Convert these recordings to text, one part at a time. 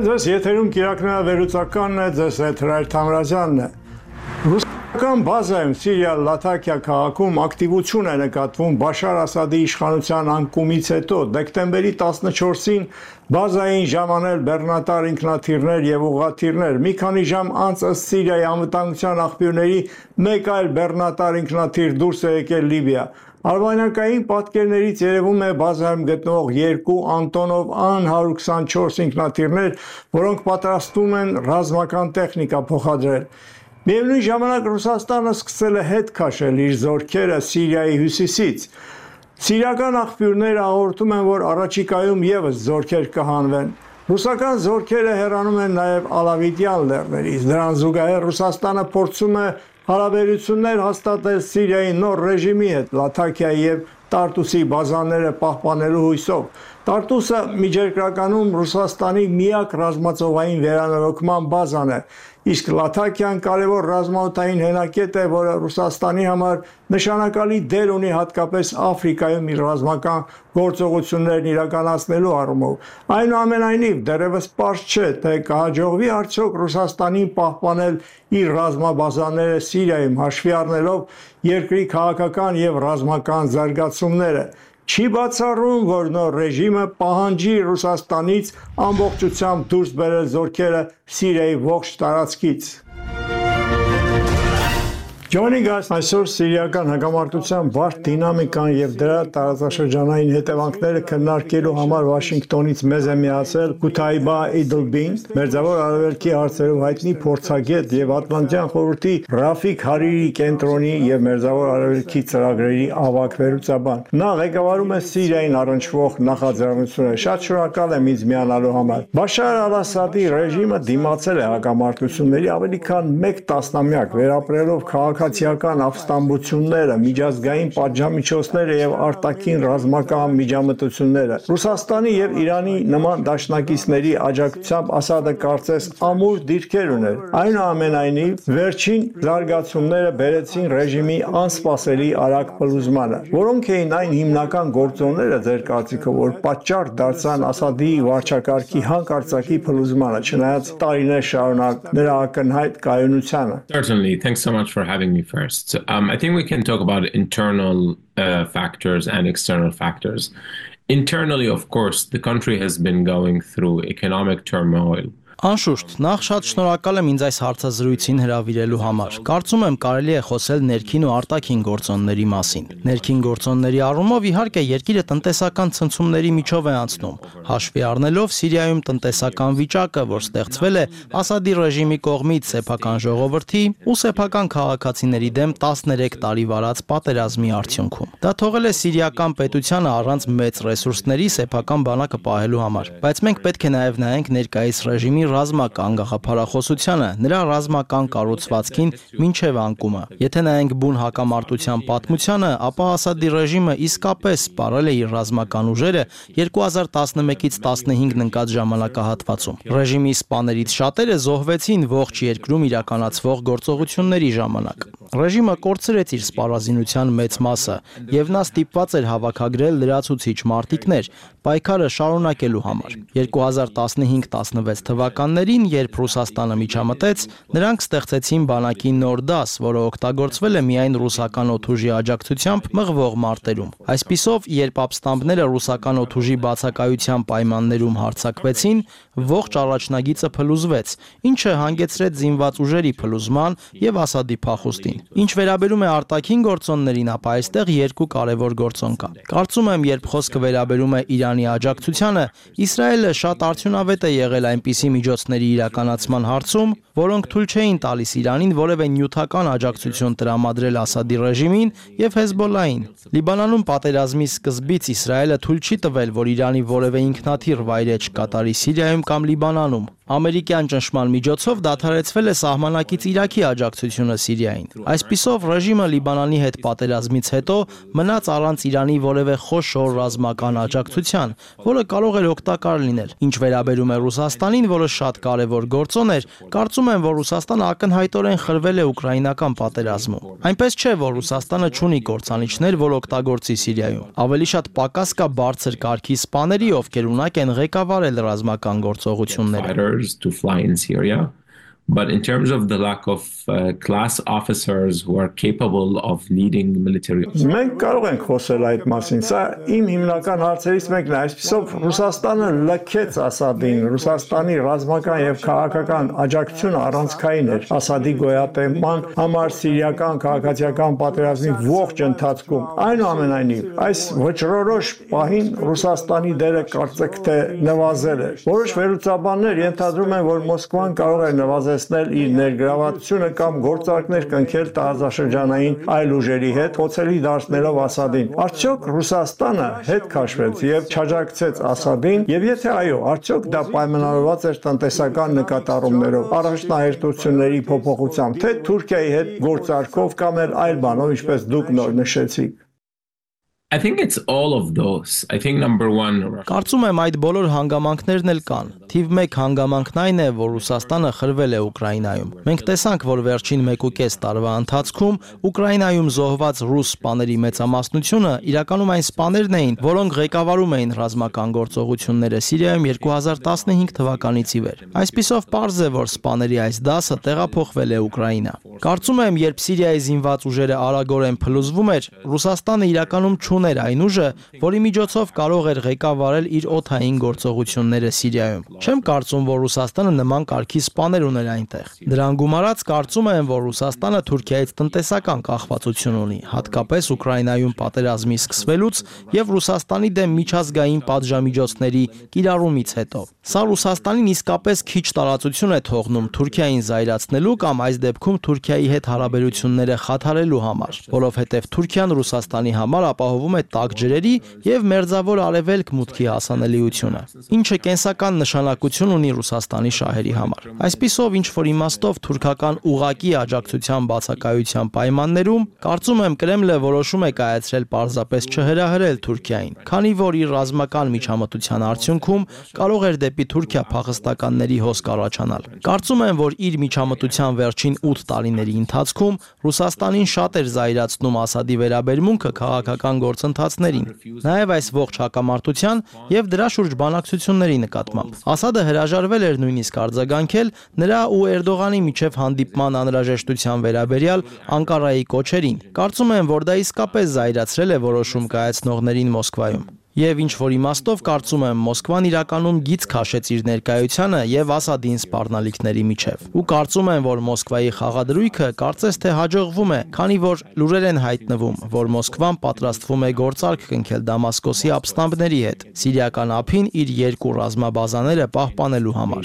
Բարև ձեզ, եթերում կիրակնավերուցականն է, ձեզ հետ Հրայր Թամրազյանն է։ Ռուսական բազայում Սիրիա Լաթաքիա քաղաքում ակտիվություն է նկատվում Բաշար Ասադի իշխանության անկումից հետո։ Դեկտեմբերի 14-ին բազային ժամանել բեռնատար ինքնաթիռներ եւ ուղղաթիռներ։ Մի քանի ժամ անց ըստ Սիրիայի անվտանգության աղբյուրների մեկ այլ բեռնատար ինքնաթիռ դուրս է եկել Լիբիա։ Արբանյակային պատկերներից երևում է բազայում գտնվող երկու Անտոնով Ան-124 ինքնաթիռներ, որոնք պատրաստվում են ռազմական տեխնիկա փոխադրել։ Միևնույն ժամանակ Ռուսաստանը սկսել է հետ քաշել իր զորքերը Սիրիայի հյուսիսից։ Սիրիական աղբյուրները հաղորդում են, որ առաջիկայում ևս զորքեր կհանվեն։ Ռուսական զորքերը հեռանում են նաև Ալավիտյան լեռներից։ Դրան զուգահեռ Ռուսաստանը փորձում է հարաբերություններ հաստատել Սիրիայի նոր ռեժիմի հետ Լաթաքիայի եւ Տարտուսի բազաները պահպանելու հույսով։ Տարտուսը միջերկրականում Ռուսաստանի միակ ռազմածովային վերանորոգման բազան է, իսկ Լաթաքիան կարևոր ռազմաօդային հենակետ է, որը Ռուսաստանի համար նշանակալի դեր ունի հատկապես Աֆրիկայում իր ռազմական գործողություններն իրականացնելու առումով։ Այնուամենայնիվ, դեռևս պարզ չէ, թե կհաջողվի արդյոք Ռուսաստանին պահպանել իր ռազմաբազաները Սիրիայում, հաշվի առնելով երկրի քաղաքական եւ ռազմական զարգացումները։ Չի բացառում, որ նոր ռեժիմը պահանջի Ռուսաստանից ամբողջությամբ դուրս բերել զորքերը Սիրիայի ողջ տարածքից։ Joining us այսօր սիրիական հակամարտության բարդ դինամիկան եւ դրա տարածաշրջանային հետևանքները քննարկելու համար Վաշինգտոնից մեզ է միացել Կութայբա Իդլբին, Մերձավոր Արևելքի հարցերով հայտնի փորձագետ եւ Ատլանտյան խորհրդի Ռաֆիկ Հարիրի կենտրոնի եւ Մերձավոր Արևելքի ծրագրերի ավագ վերլուծաբան։ Նա ղեկավարում է Սիրիային առնչվող նախաձեռնությունը։ Շատ շնորհակալ եմ ինձ միանալու համար։ Բաշար Ալ-Ասադի ռեժիմը դիմացել է հակամարտությունների ավելի քան 1 տասնամյակ, վերապրելով քաղաքացիական ապստամբությունները, միջազգային պատժամիջոցները եւ արտաքին ռազմական միջամտությունները։ Ռուսաստանի եւ Իրանի նման դաշնակիցների աջակցությամբ Ասադը կարծես ամուր դիրքեր ուներ։ Այնուամենայնիվ, վերջին զարգացումները բերեցին ռեժիմի անսպասելի արագ փլուզմանը։ Որոնք էին այն հիմնական գործոնները ձեր կարծիքով, որ պատճառ դարձան Ասադի վարչակարգի հանկարծակի փլուզմանը, չնայած տարիներ շարունակ նրա ակնհայտ կայունությանը։ Certainly, thanks so much for having me first. I think we can talk about internal factors and external factors. Internally, of course, the country has been going through economic turmoil. Անշուշտ, նախ շատ շնորհակալ եմ ինձ այս հարցազրույցին հրավիրելու համար։ Կարծում եմ կարելի է խոսել ներքին ու արտաքին գործոնների մասին։ Ներքին գործոնների առումով իհարկե երկիրը տնտեսական ցնցումների միջով է անցնում, հաշվի առնելով Սիրիայում տնտեսական վիճակը, որ ստեղծվել է Ասադի ռեժիմի կողմից սեփական ժողովրդի ու սեփական քաղաքացիների դեմ 13 տարի վարած պատերազմի արդյունքում։ Դա թողել է սիրիական պետությանը առանց մեծ ռեսուրսների սեփական բանակը պահելու համար։ Բայց մենք պետք է նաև նայենք ներկայիս ռեժիմի ռազմական գաղափարախոսությանը, նրա ռազմական կառուցվածքին մինչև անկումը։ Եթե նայենք բուն հակամարտության պատմությանը, ապա Ասադի ռեժիմը իսկապես սպառել է իր ռազմական ուժերը 2011-ից 15-ն ընկած ժամանակահատվածում։ Ռեժիմի սպաներից շատերը զոհվեցին ողջ երկրում իրականացվող գործողությունների ժամանակ։ Ռեժիմը կորցրեց իր սպառազինության մեծ մասը, եւ նա ստիպված էր հավաքագրել լրացուցիչ մարտիկներ պայքարը շարունակելու համար։ 2015-16 թվականներին, երբ Ռուսաստանը միջամտեց, նրանք ստեղծեցին բանակի նոր դաս, որը օգտագործվել է միայն ռուսական օդուժի աջակցությամբ մղվող մարտերում։ Այսպիսով, երբ ապստամբները ռուսական օդուժի բացակայության պայմաններում հարձակվեցին, ողջ առաջնագիծը փլուզվեց, ինչը հանգեցրեց զինված ուժերի փլուզման եւ Ասադի փախուստին։ Ինչ վերաբերում է արտաքին գործոններին, ապա այստեղ երկու կարևոր գործոն կա։ Կարծում եմ, երբ խոսքը վերաբերում է Իրանի աջակցությանը, Իսրայելը շատ արդյունավետ է եղել այնպիսի միջոցների իրականացման հարցում, որոնք թույլ չէին տալիս Իրանին որևէ նյութական աջակցություն տրամադրել Ասադի ռեժիմին եւ Հեզբոլլահին։ Լիբանանում պատերազմի սկզբից Իսրայելը թույլ չի տվել, որ Իրանի որևէ ինքնաթիռ վայրէջք կատարի Սիրիայում կամ Լիբանանում։ Ամերիկյան ճնշման միջոցով դադարեցվել է սահմանակից Իրաքի աջակցությունը Սիրիային։ Այսպիսով ռեժիմը Լիբանանի հետ պատերազմից հետո մնաց առանց Իրանի որևէ խոշոր ռազմական աջակցության, որը կարող էր օգտակար լինել։ Ինչ վերաբերում է Ռուսաստանին, որը շատ կարևոր գործոն էր, կարծում եմ, որ Ռուսաստանը ակնհայտորեն խրվել է ուկրաինական պատերազմում։ Այնպես չէ, որ Ռուսաստանը չունի կործանիչներ, որ օգտագործի Սիրիայում։ Ավելի շատ պակաս կա բարձր կարգի սպաների, ովքեր ունակ են ղեկավարել ռազմական գործողությունները։ To fly in Syria. But in terms of the lack of class officers who are capable of leading military Մենք կարող ենք խոսել այդ մասին։ Սա իմ հիմնական հարցերից մեկն է։ Այսպիսով Ռուսաստանը լքեց Ասադին, Ռուսաստանի ռազմական եւ քաղաքական աջակցությունը առանցքային էր Ասադի գոյատևման համար սիրիական քաղաքացիական պատերազմի ողջ ընթացքում։ Այնուամենայնիվ, այս վճռորոշ պահին Ռուսաստանի դերը կարծեք թե նվազել է։ Որոշ վերլուծաբաններ ենթադրում են, որ Մոսկվան կարող է նվազեցնել իր ներգրավվածությունը կամ գործարքներ կնքել տարածաշրջանային այլ ուժերի հետ, փորձելի դարձնելով Ասադին։ Արդյոք Ռուսաստանը հետ քաշվեց եւ չաջակցեց Ասադին, եւ եթե այո, արդյոք դա պայմանավորված էր տնտեսական նկատառումներով, առաջնահերթությունների փոփոխությամբ, թե Թուրքիայի հետ գործարքով կամ այլ բանով, ինչպես դուք նոր նշեցիք։ I think it's all of those. I think number one. Կարծում եմ այդ բոլոր հանգամանքներն էլ կան։ Թիվ 1 հանգամանքն այն է, որ Ռուսաստանը խրվել է Ուկրաինայում։ Մենք տեսանք, որ վերջին 1.5 տարվա ընթացքում Ուկրաինայում զոհված ռուս սպաների մեծամասնությունը իրականում այն սպաներն էին, որոնք ղեկավարում էին ռազմական գործողությունները Սիրիայում 2015 թվականից ի վեր։ Այսպիսով պարզ է, որ սպաների այս դասը տեղափոխվել է Ուկրաինա։ Կարծում եմ, երբ Սիրիայի զինված ուժերը արագորեն փլուզվում էր, Ռուսաստանը իրականում չուներ այն ուժը, որի միջոցով կարող էր ղեկավարել իր օդային գործողությունները Սիրիայում։ Չեմ կարծում, որ Ռուսաստանը նման կարգի սպաներ ուներ այնտեղ։ Դրան գումարած կարծում եմ, որ Ռուսաստանը Թուրքիայից տնտեսական կախվածություն ունի, հատկապես Ուկրաինայում պատերազմի սկսվելուց եւ Ռուսաստանի դեմ միջազգային պատժամիջոցների կիրառումից հետո։ Սա Ռուսաստանին իսկապես քիչ տարածություն է թողնում Թուրքիային զայրացնելու կամ այս դեպքում Թուրքիայի հետ հարաբերությունները խաթարելու համար, որովհետև Թուրքիան Ռուսաստանի համար ապահովում է տաք ջրերի եւ մերձավոր արևելք մուտքի հասանելիությունը, ինչը կենսական նշանակություն ունի Ռուսաստանի շահերի համար։ Այսպիսով, ինչ որ իմաստով թուրքական ուղակի աջակցության բացակայության պայմաններում, կարծում եմ Կրեմլը որոշում է կայացրել պարզապես չհրահրել Թուրքիային, քանի որ իր ռազմական միջամտության արդյունքում կարող էր դեպի Թուրքիա փախստականների հոսք առաջանալ։ Կարծում եմ, որ իր միջամտության վերջին 8 տարիների ընթացքում Ռուսաստանին շատ էր զայրացնում Ասադի վերաբերմունքը քաղաքական գործընթացներին, նաև այս ողջ հակամարտության եւ դրա շուրջ բանակցությունների նկատմամբ։ Ասադը հրաժարվել էր նույնիսկ արձագանքել նրա ու Էրդողանի միջև հանդիպման անհրաժեշտության վերաբերյալ Անկարայի կոչերին։ Կարծում եմ, որ դա իսկապես զայրացրել է որոշում կայացնողներին Մոսկվայում։ Եվ ինչ որ իմաստով կարծում եմ Մոսկվան իրականում գիծ քաշեց իր ներկայությանը եւ Ասադին սպառնալիքների միջև։ Ու կարծում եմ, որ Մոսկվայի խաղադրույքը կարծես թե հաջողվում է, քանի որ լուրեր են հայտնվում, որ Մոսկվան պատրաստվում է գործարք կնքել Դամասկոսի ապստամբների հետ, սիրիական ափին իր 2 ռազմաբազաները պահպանելու համար։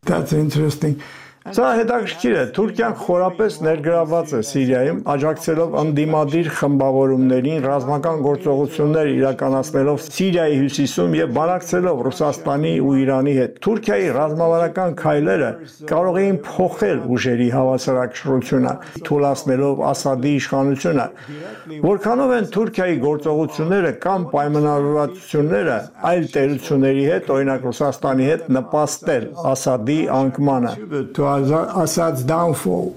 That's interesting. Սա հետաքրքիր է, Թուրքիան խորապես ներգրավված է Սիրիայում, աջակցելով ընդդիմադիր խմբավորումներին, ռազմական գործողություններ իրականացնելով Սիրիայի հյուսիսում եւ բանակցելով Ռուսաստանի ու Իրանի հետ։ Թուրքիայի ռազմավարական քայլերը կարող էին փոխել ուժերի հավասարակշռությունը, թույլատնելով Ասադի իշխանությունը։ Որքանով են Թուրքիայի գործողությունները կամ պայմանավորվածությունները այլ տերությունների հետ, օրինակ Ռուսաստանի հետ, նպաստել Ասադի անկմանը։ Assad's downfall.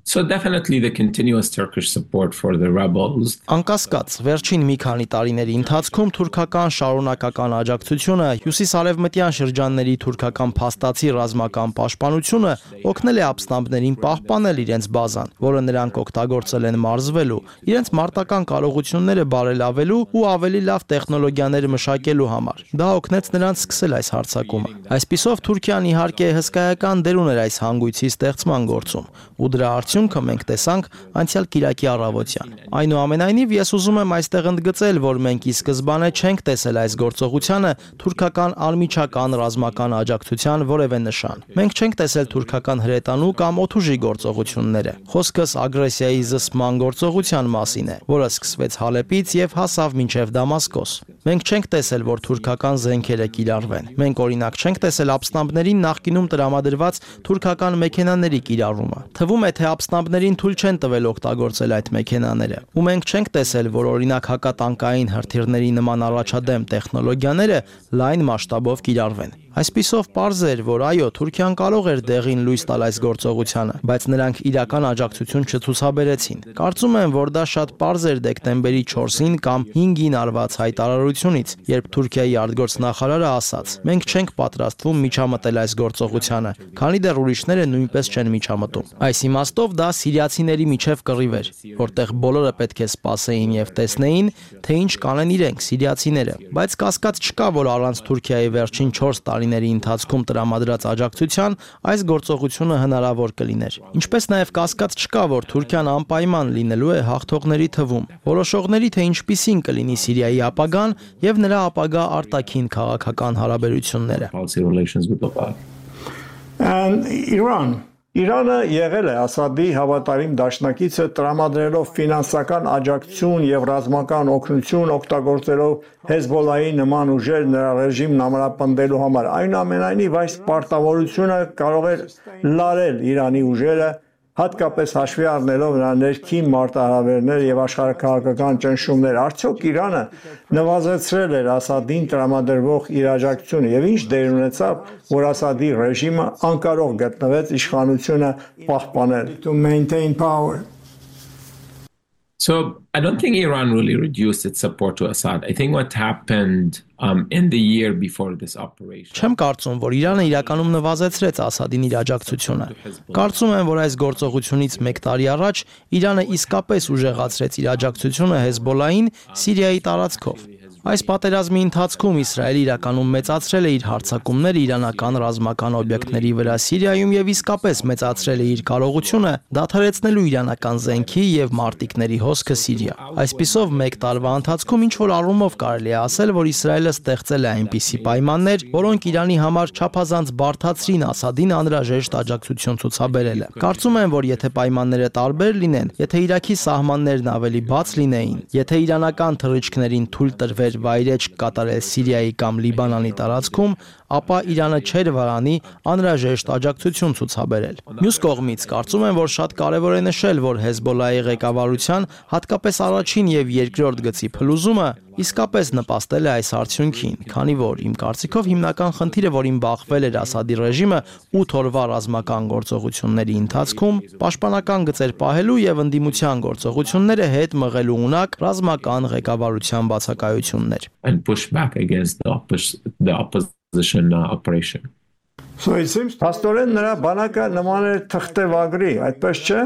So definitely the continuous Turkish support for the rebels. Անկասկած, վերջին մի քանի տարիների ընթացքում թուրքական շարունակական աջակցությունը հյուսիսարևմտյան շրջանների թուրքական փաստացի ռազմական պաշտպանությունը օգնել է ապստամբներին պահպանել իրենց բազան, որը նրանք օգտագործել են մարզվելու, իրենց մարտական կարողությունները բարելավելու ու ավելի լավ տեխնոլոգիաներ մշակելու համար։ Դա օգնեց նրանց սկսել այս հարձակումը։ Այսպիսով Թուրքիան իհարկե հսկայական դեր ուներ այս հանգույցի ստեղծման գործում, ու դրա արդյունքը արդյունքը մենք տեսանք անցյալ կիրակի առավոտյան։ Այնուամենայնիվ ես ուզում եմ այստեղ ընդգծել, որ մենք ի սկզբանե չենք տեսել այս գործողությանը թուրքական անմիջական ռազմական աջակցության որևէ նշան։ Մենք չենք տեսել թուրքական հրետանու կամ օդուժի գործողությունները։ Խոսքս ագրեսիայի զսպման գործողության մասին է, որը սկսվեց Հալեպից եւ հասավ մինչեւ Դամասկոս։ Մենք չենք տեսել, որ թուրքական զենքերը կիրառվեն։ Մենք օրինակ չենք տեսել ապստամբներին նախկինում տրամադրված թուրքական մեքենաների կիրառումը։ Թվում է, թե ապստամբներին թույլ չեն տվել օգտագործել այդ մեքենաները։ Ու մենք չենք տեսել, որ օրինակ հակատանկային հրթիռների նման առաջադեմ տեխնոլոգիաները լայն մասշտաբով կիրառվեն։ Այսպիսով պարզ էր, որ այո, Թուրքիան կարող էր դեղին լույս տալ այս գործողությանը, բայց նրանք իրական աջակցություն չցուցաբերեցին։ Կարծում եմ, որ դա շատ պարզ էր դեկտեմբերի 4-ին կամ 5-ին արված հայտարարությունից, երբ Թուրքիայի արտգործնախարարը ասաց. «Մենք չենք պատրաստվում միջամտել այս գործողությանը, քանի դեռ ուրիշները նույնպես չեն միջամտում»։ Այս իմաստով դա սիրիացիների միջև կռիվ էր, որտեղ բոլորը պետք է սպասեին եւ տեսնեին, թե ինչ կանեն իրենք սիրիացիները, բայց կասկած չկա, որ առանց Թուրքիայի վերջին 4 տարիների ընթացքում տրամադրած աջակցության այս գործողությունը հնարավոր կլիներ։ Ինչպես նաև կասկած չկա, որ Թուրքիան անպայման լինելու է հաղթողների թվում։ Որոշողների, թե ինչպիսին կլինի Սիրիայի ապագան եւ նրա ապագա արտաքին քաղաքական հարաբերությունները։ Իրանը եղել է Ասադի հավատարիմ դաշնակիցը տրամադրելով ֆինանսական աջակցություն եւ ռազմական օգնություն օգտագործելով Հեզբոլայի նման ուժեր նրա ռեժիմն ամրապնդելու համար։ Այնուամենայնիվ այս պարտավորությունը կարող էր լարել Իրանի ուժերը, հատկապես հաշվի առնելով նրա ներքին մարտահրավերներ եւ աշխարհաքաղաքական ճնշումներ։ Արդյոք Իրանը նվազեցրել էր Ասադին տրամադրվող իր աջակցությունը եւ ինչ դեր ունեցավ, որ Ասադի ռեժիմը անկարող գտնվեց իշխանությունը պահպանել։ To maintain power. So I don't think Iran really reduced its support to Assad. I think what happened in the year before this operation. Չեմ կարծում, որ Իրանը իրականում նվազեցրեց Ասադին իր աջակցությունը։ Կարծում եմ, որ այս գործողությունից 1 տարի առաջ Իրանը իսկապես ուժեղացրեց իր աջակցությունը Հեզբոլային Սիրիայի տարածքով։ Այս պատերազմի ընթացքում Իսրայելը իրականում մեծացրել է իր հարձակումները իրանական ռազմական օբյեկտների վրա Սիրիայում եւ իսկապես մեծացրել է իր կարողությունը դադարեցնելու իրանական զենքի եւ մարտիկների հոսքը Սիրիա։ Այսպիսով 1 տարվա ընթացքում ինչ որ առումով կարելի է ասել, որ Իսրայելը ստեղծել է այնպիսի պայմաններ, որոնք Իրանի համար չափազանց բարդացրին Ասադին անհրաժեշտ աջակցություն ցուցաբերելը։ Կարծում եմ, որ եթե պայմանները տարբեր լինեն, եթե Իրաքի սահմաններն ավելի բաց լինեին, եթե իրանական թռիչքներին թույլ տրվեր վայրեջք կատարել Սիրիայի կամ Լիբանանի տարածքում, ապա Իրանը չէր վարանի անհրաժեշտ աջակցություն ցուցաբերել։ Մյուս կողմից կարծում եմ, որ շատ կարևոր է նշել, որ Հեզբոլայի ղեկավարության հատկապես առաջին եւ երկրորդ գծի փլուզումը իսկապես նպաստել է այս արդյունքին, քանի որ իմ կարծիքով հիմնական խնդիրը, որին բախվել էր Ասադի ռեժիմը 8 օրվա ռազմական գործողությունների ընթացքում, պաշտպանական գծեր պահելու եւ ընդդիմության գործողությունները հետ մղելու ունակ ռազմական ղեկավարության բացակայություններ։ And push back against the opposition operation. So it seems Փաստորեն նրա բանակը նման էր թղթեվագրի, այդպես չէ։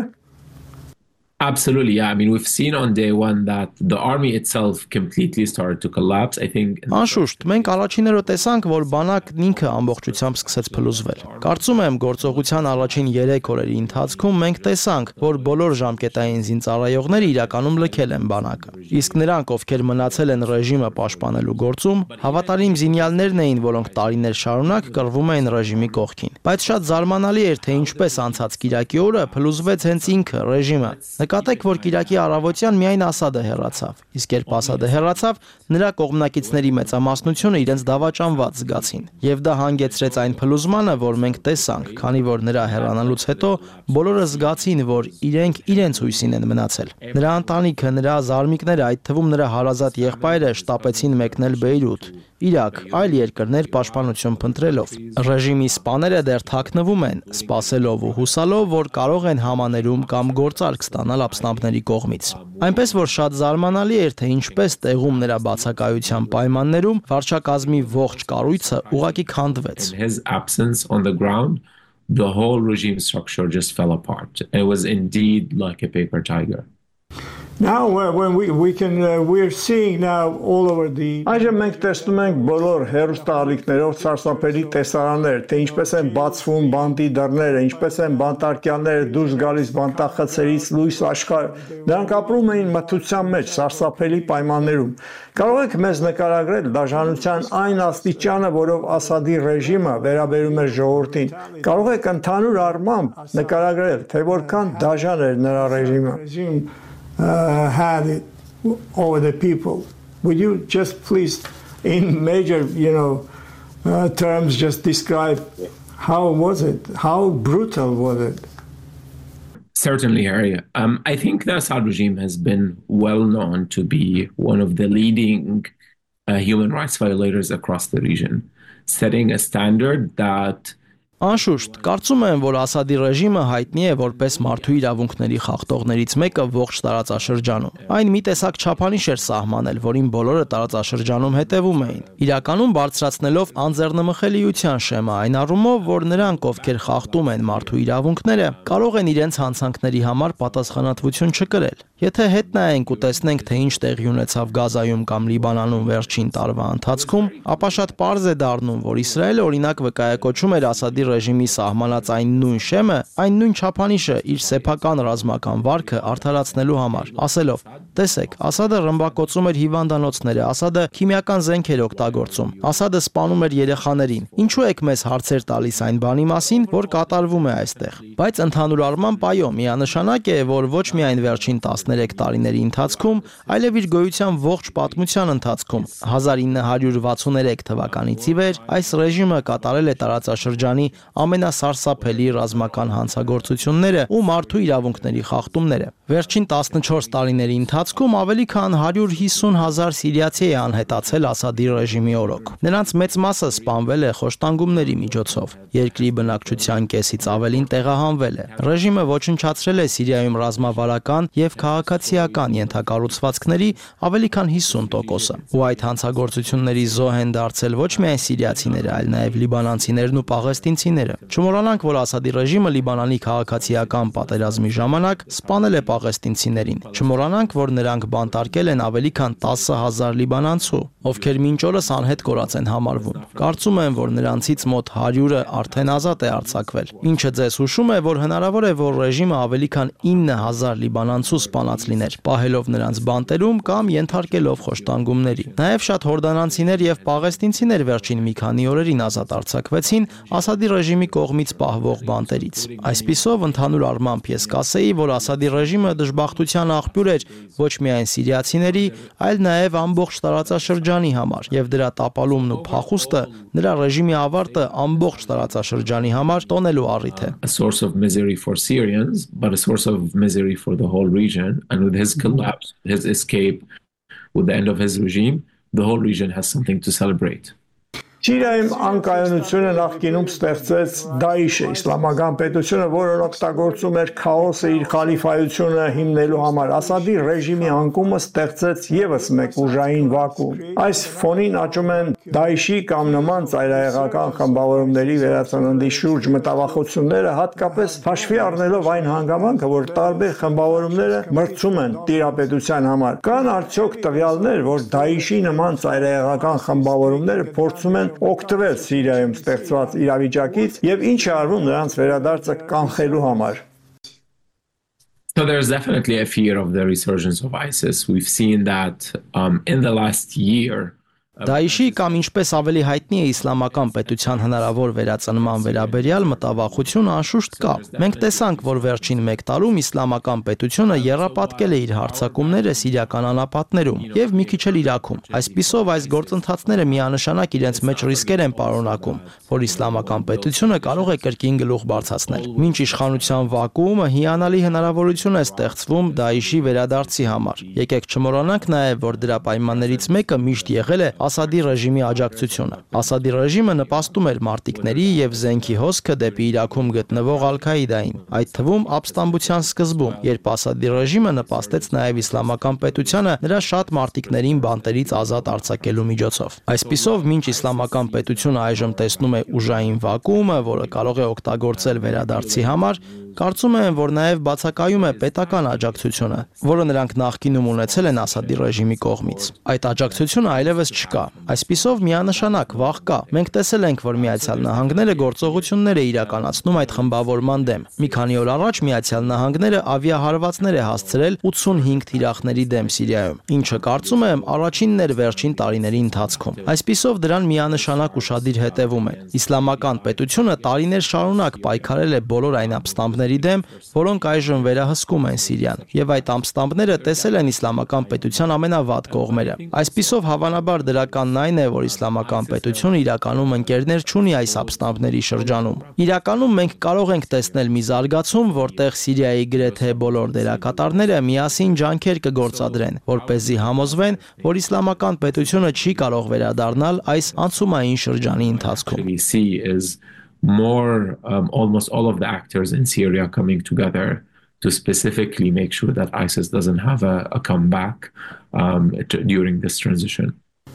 Absolutely, yeah. I mean, we've seen on day one that the army itself completely started to collapse. I think. Անշուշտ, մենք առաջիներով տեսանք, որ բանակն ինքը ամբողջությամբ սկսեց փլուզվել։ Կարծում եմ, գործողության առաջին 3 օրերի ընթացքում մենք տեսանք, որ բոլոր ժամկետային զինծառայողները իրականում լքել են բանակը։ Իսկ նրանք, ովքեր մնացել են ռեժիմը պաշտպանելու գործում, հավատարիմ զինյալներն էին, որոնք տարիներ շարունակ կռվում էին ռեժիմի կողքին։ Բայց շատ զարմանալի էր, թե ինչպես անցած կիրակի օրը փլուզվեց հենց ինքը ռեժիմը։ Նկատեք, որ Կիրակի առավոտյան միայն Ասադը հեռացավ, իսկ երբ Ասադը հեռացավ, նրա կողմնակիցների մեծամասնությունը իրենց դավաճանված զգացին։ Եվ դա հանգեցրեց այն փլուզմանը, որ մենք տեսանք, քանի որ նրա հեռանալուց հետո բոլորը զգացին, որ իրենք իրենց հույսին են մնացել։ Նրա ընտանիքը, նրա զարմիկները, այդ թվում նրա հարազատ եղբայրը շտապեցին մեկնել Բեյրութ, Իրաք, այլ երկրներ պաշտպանություն փնտրելով։ Ռեժիմի սպաները դեռ թաքնվում են, սպասելով ու հուսալով, որ կարող են համաներում կամ գործարք ստանալ ապստամբների կողմից։ Այնպես որ շատ զարմանալի էր, թե ինչպես տեղում նրա բացակայության պայմաններում վարչակազմի ողջ կառույցը ուղղակի քանդվեց։ His absence on the ground, the whole regime structure just fell apart. It was indeed like a paper tiger. Now when we're seeing now all over the Այժմ մենք տեսնում ենք բոլոր հեռուստաալիքներով սարսափելի տեսարաններ, թե ինչպես են բացվում բանտի դռները, ինչպես են բանտարկյալները դուրս գալիս բանտախցերից լույս աշխարհ։ Նրանք ապրում էին մթության մեջ, սարսափելի պայմաններում։ Կարող եք մեզ նկարագրել դաժանության այն աստիճանը, որով Ասադի ռեժիմը վերաբերում էր ժողովրդին։ Կարող եք ընդհանուր առմամբ նկարագրել, թե որքան դաժան էր նրա ռեժիմը։ Had it over the people. Would you just please, in major, terms, just describe how was it? How brutal was it? Certainly, Harry. I think the Assad regime has been well known to be one of the leading human rights violators across the region, setting a standard that Անշուշտ, կարծում եմ, որ Ասադի ռեժիմը հայտնի է որպես մարդու իրավունքների խախտողներից մեկը ողջ տարածաշրջանում։ Այն մի տեսակ չափանիշ էր սահմանել, որին բոլորը տարածաշրջանում հետևում էին, իրականում բարձրացնելով անձեռնմխելիության շեմը այն առումով, որ նրանք, ովքեր խախտում են մարդու իրավունքները, կարող են իրենց հանցանքների համար պատասխանատվություն չկրել։ Եթե հետ նայենք ու տեսնենք, թե ինչ տեղի ունեցավ Գազայում կամ Լիբանանում վերջին տարվա ընթացքում, ապա շատ պարզ է դառնում, որ Իսրայելը օրինակ վկայակոչում էր Ասադի ռեժիմի սահմանած այն նույն շեմը, այն նույն չափանիշը իր սեփական ռազմական վարքը արդարացնելու համար, ասելով. Տեսեք, Ասադը ռմբակոծում էր հիվանդանոցները, Ասադը քիմիական զենք էր օգտագործում, Ասադը սպանում էր երեխաներին։ Ինչու եք մեզ հարցեր տալիս այն բանի մասին, որ կատարվում է այստեղ։ Բայց ընդհանուր առմամբ այո, միանշանակ է, որ ոչ միայն վերջին 13 տարիների ընթացքում, այլև իր գոյության ողջ պատմության ընթացքում 1963 թվականից ի վեր այս ռեժիմը կատարել է տարածաշրջանի ամենասարսափելի ռազմական հանցագործությունները ու մարդու իրավունքների խախտումները։ Վերջին 14 տարիների ընթացքում ավելի քան 150,000 սիրիացի է անհետացել Ասադի ռեժիմի օրոք։ Նրանց մեծ մասը սպանվել է խոշտանգումների միջոցով։ Երկրի բնակչության կեսից ավելին տեղահանվել է։ Ռեժիմը ոչնչացրել է Սիրիայում ռազմավարական եւ քաղաքացիական ենթակառուցվածքների ավելի քան 50%-ը։ Ու այդ հանցագործությունների զոհ են դարձել ոչ միայն սիրիացիները, այլ նաեւ լիբանանցիներն ու պաղեստինցիները։ Չմոռանանք, որ Ասադի ռեժիմը Լիբանանի քաղաքացիական պատերազմի ժամանակ սպանել է պաղեստինցիներին։ Չմոռանանք, որ նրանք բանտարկել են ավելի քան 10,000 լիբանանցու, ովքեր մինչ օրս անհետ կորած են համարվում։ Կարծում եմ, որ նրանցից մոտ 100-ը արդեն ազատ է արձակվել, ինչը ձեզ հուշում է, որ հնարավոր է, որ ռեժիմը ավելի քան 9,000 լիբանանցու սպանած լիներ, պահելով նրանց բանտերում կամ ենթարկելով խոշտանգումների։ Նաև շատ հորդանանցիներ եւ պաղեստինցիներ վերջին մի քանի օրերին ազատ արձակվեցին Ասադի ռեժիմի կողմից պահվող բանտերից։ Այսպիսով, ընդհանուր առմամբ ես կասեի, որ Ասադի ռեժիմը դժբախտության աղբյուր էր ոչ միայն սիրիացիների, այլ նաև ամբողջ տարածաշրջանի համար, եւ դրա տապալումն ու փախուստը նրա ռեժիմի ավարտը ամբողջ տարածաշրջանի համար տոնելու առիթ է։ A source of misery for Syrians, but a source of misery for the whole region. And with his collapse, his escape, with the end of his regime, the whole region has something to celebrate. Սիրիայում անկայունությունը նախկինում ստեղծեց Դաիշը, իսլամական պետությունը, որը օգտագործում էր քաոսը իր խալիֆայությունը հիմնելու համար։ Ասադի ռեժիմի անկումը ստեղծեց եւս մեկ ուժային վակուում։ Այս ֆոնին աճում են Դաիշի կամ նման ծայրահեղական խմբավորումների վերածննդի շուրջ մտավախությունները, հատկապես հաշվի առնելով այն հանգամանքը, որ տարբեր խմբավորումները մրցում են տիրապետության համար։ Կան արդյոք տվյալներ, որ Դաիշի նման ծայրահեղական խմբավորումները փորձում են օգտվել Սիրիայում ստեղծված իրավիճակից եւ ինչ է արվում նրանց վերադարձը կանխելու համար։ So there's definitely a fear of the resurgence of ISIS. We've seen that in the last year. Դաիշի կամ ինչպես ավելի հայտնի է իսլամական պետության հնարավոր վերածնման վերաբերյալ մտավախություն անշուշտ կա։ Մենք տեսանք, որ վերջին 1 տարում իսլամական պետությունը եռապատկել է իր հարձակումները սիրիական անապատներում եւ մի քիչ էլ Իրաքում։ Այսպիսով այս գործընթացները միանշանակ իրենց մեջ ռիսկեր են պարունակում, որ իսլամական պետությունը կարող է կրկին գլուխ բարձրացնել։ Մինչ իշխանության վակուումը հիանալի հնարավորություն է ստեղծվում Դաիշի վերադարձի համար։ Եկեք չմոռանանք նաեւ, որ դրա պայմաններից մեկը միշտ եղել է Ասադի ռեժիմի աջակցությունը։ Ասադի ռեժիմը նպաստում էր մարտիկների եւ զենքի հոսքը դեպի Իրաքում գտնվող Ալ-Քաիդային, այդ թվում ապստամբության սկզբում, երբ Ասադի ռեժիմը նպաստեց նաեւ իսլամական պետությանը նրա շատ մարտիկներին բանտերից ազատ արձակելու միջոցով։ Այսպիսով, մինչ իսլամական պետությունը այժմ տեսնում է ուժային վակուումը, որը կարող է օգտագործել վերադարձի համար, կարծում եմ, որ նաև բացակայում է պետական աջակցությունը, որը նրանք նախկինում ունեցել են Ասադի ռեժիմի կողմից։ Այդ աջակցությունը այլևս չկա։ Այսպիսով միանշանակ վախ կա։ Մենք տեսել ենք, որ Միացյալ Նահանգները գործողություններ է իրականացնում այդ խմբավորման դեմ։ Մի քանի օր առաջ Միացյալ Նահանգները ավիահարվածներ է հասցրել 85 թիրախների դեմ Սիրիայում, ինչը կարծում եմ առաջինն էր վերջին տարիների ընթացքում։ Այսպիսով դրան միանշանակ ուշադիր հետևում են։ Իսլամական պետությունը տարիներ շարունակ պայքարել է բոլոր այն ապստամբների դեմ, որոնք այժմ վերահսկում են Սիրիան, եւ այդ ապստամբները տեսել են իսլամական պետության ամենավատ կողմերը։ Այսպիսով հավանաբար դրականն այն է, որ իսլամական պետությունը իրականում ընկերներ չունի այս ապստամբների շրջանում։ Իրականում մենք կարող ենք տեսնել մի զարգացում, որտեղ Սիրիայի գրեթե բոլոր դերակատարները միասին ջանքեր կգործադրեն, որպեսզի համոզվեն, որ իսլամական պետությունը չի կարող վերադառնալ այս անցումային շրջանի ընթացքում։ We see is more almost all of the actors in Syria coming together to specifically make sure that ISIS doesn't have a comeback during this transition.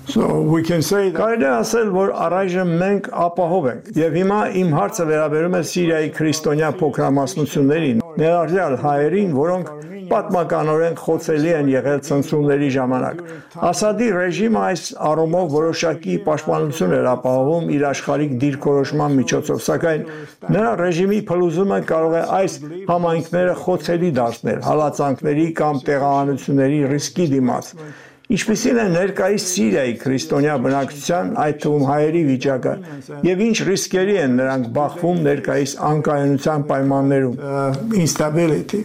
So we can say կարելի է ասել, որ առայժմ մենք ապահով ենք։ Եվ հիմա իմ հարցը վերաբերում է Սիրիայի քրիստոնյա փոքրամասնություններին, ներառյալ հայերին, որոնք պատմականորեն խոցելի են եղել ցնցումների ժամանակ։ Ասադի ռեժիմը այս առումով որոշակի պաշտպանություն էր ապահովում իր աշխարհիկ դիրքորոշման միջոցով, սակայն նրա ռեժիմի փլուզումը կարող է այս համայնքները խոցելի դարձնել հալածանքների կամ տեղահանությունների ռիսկի դիմաց։ Ինչպիսին է ներկայիս Սիրիայի քրիստոնյա բնակչության, այդ թվում հայերի վիճակը, եւ ինչ ռիսկերի են նրանք բախվում ներկայիս անկայունության պայմաններում, instability.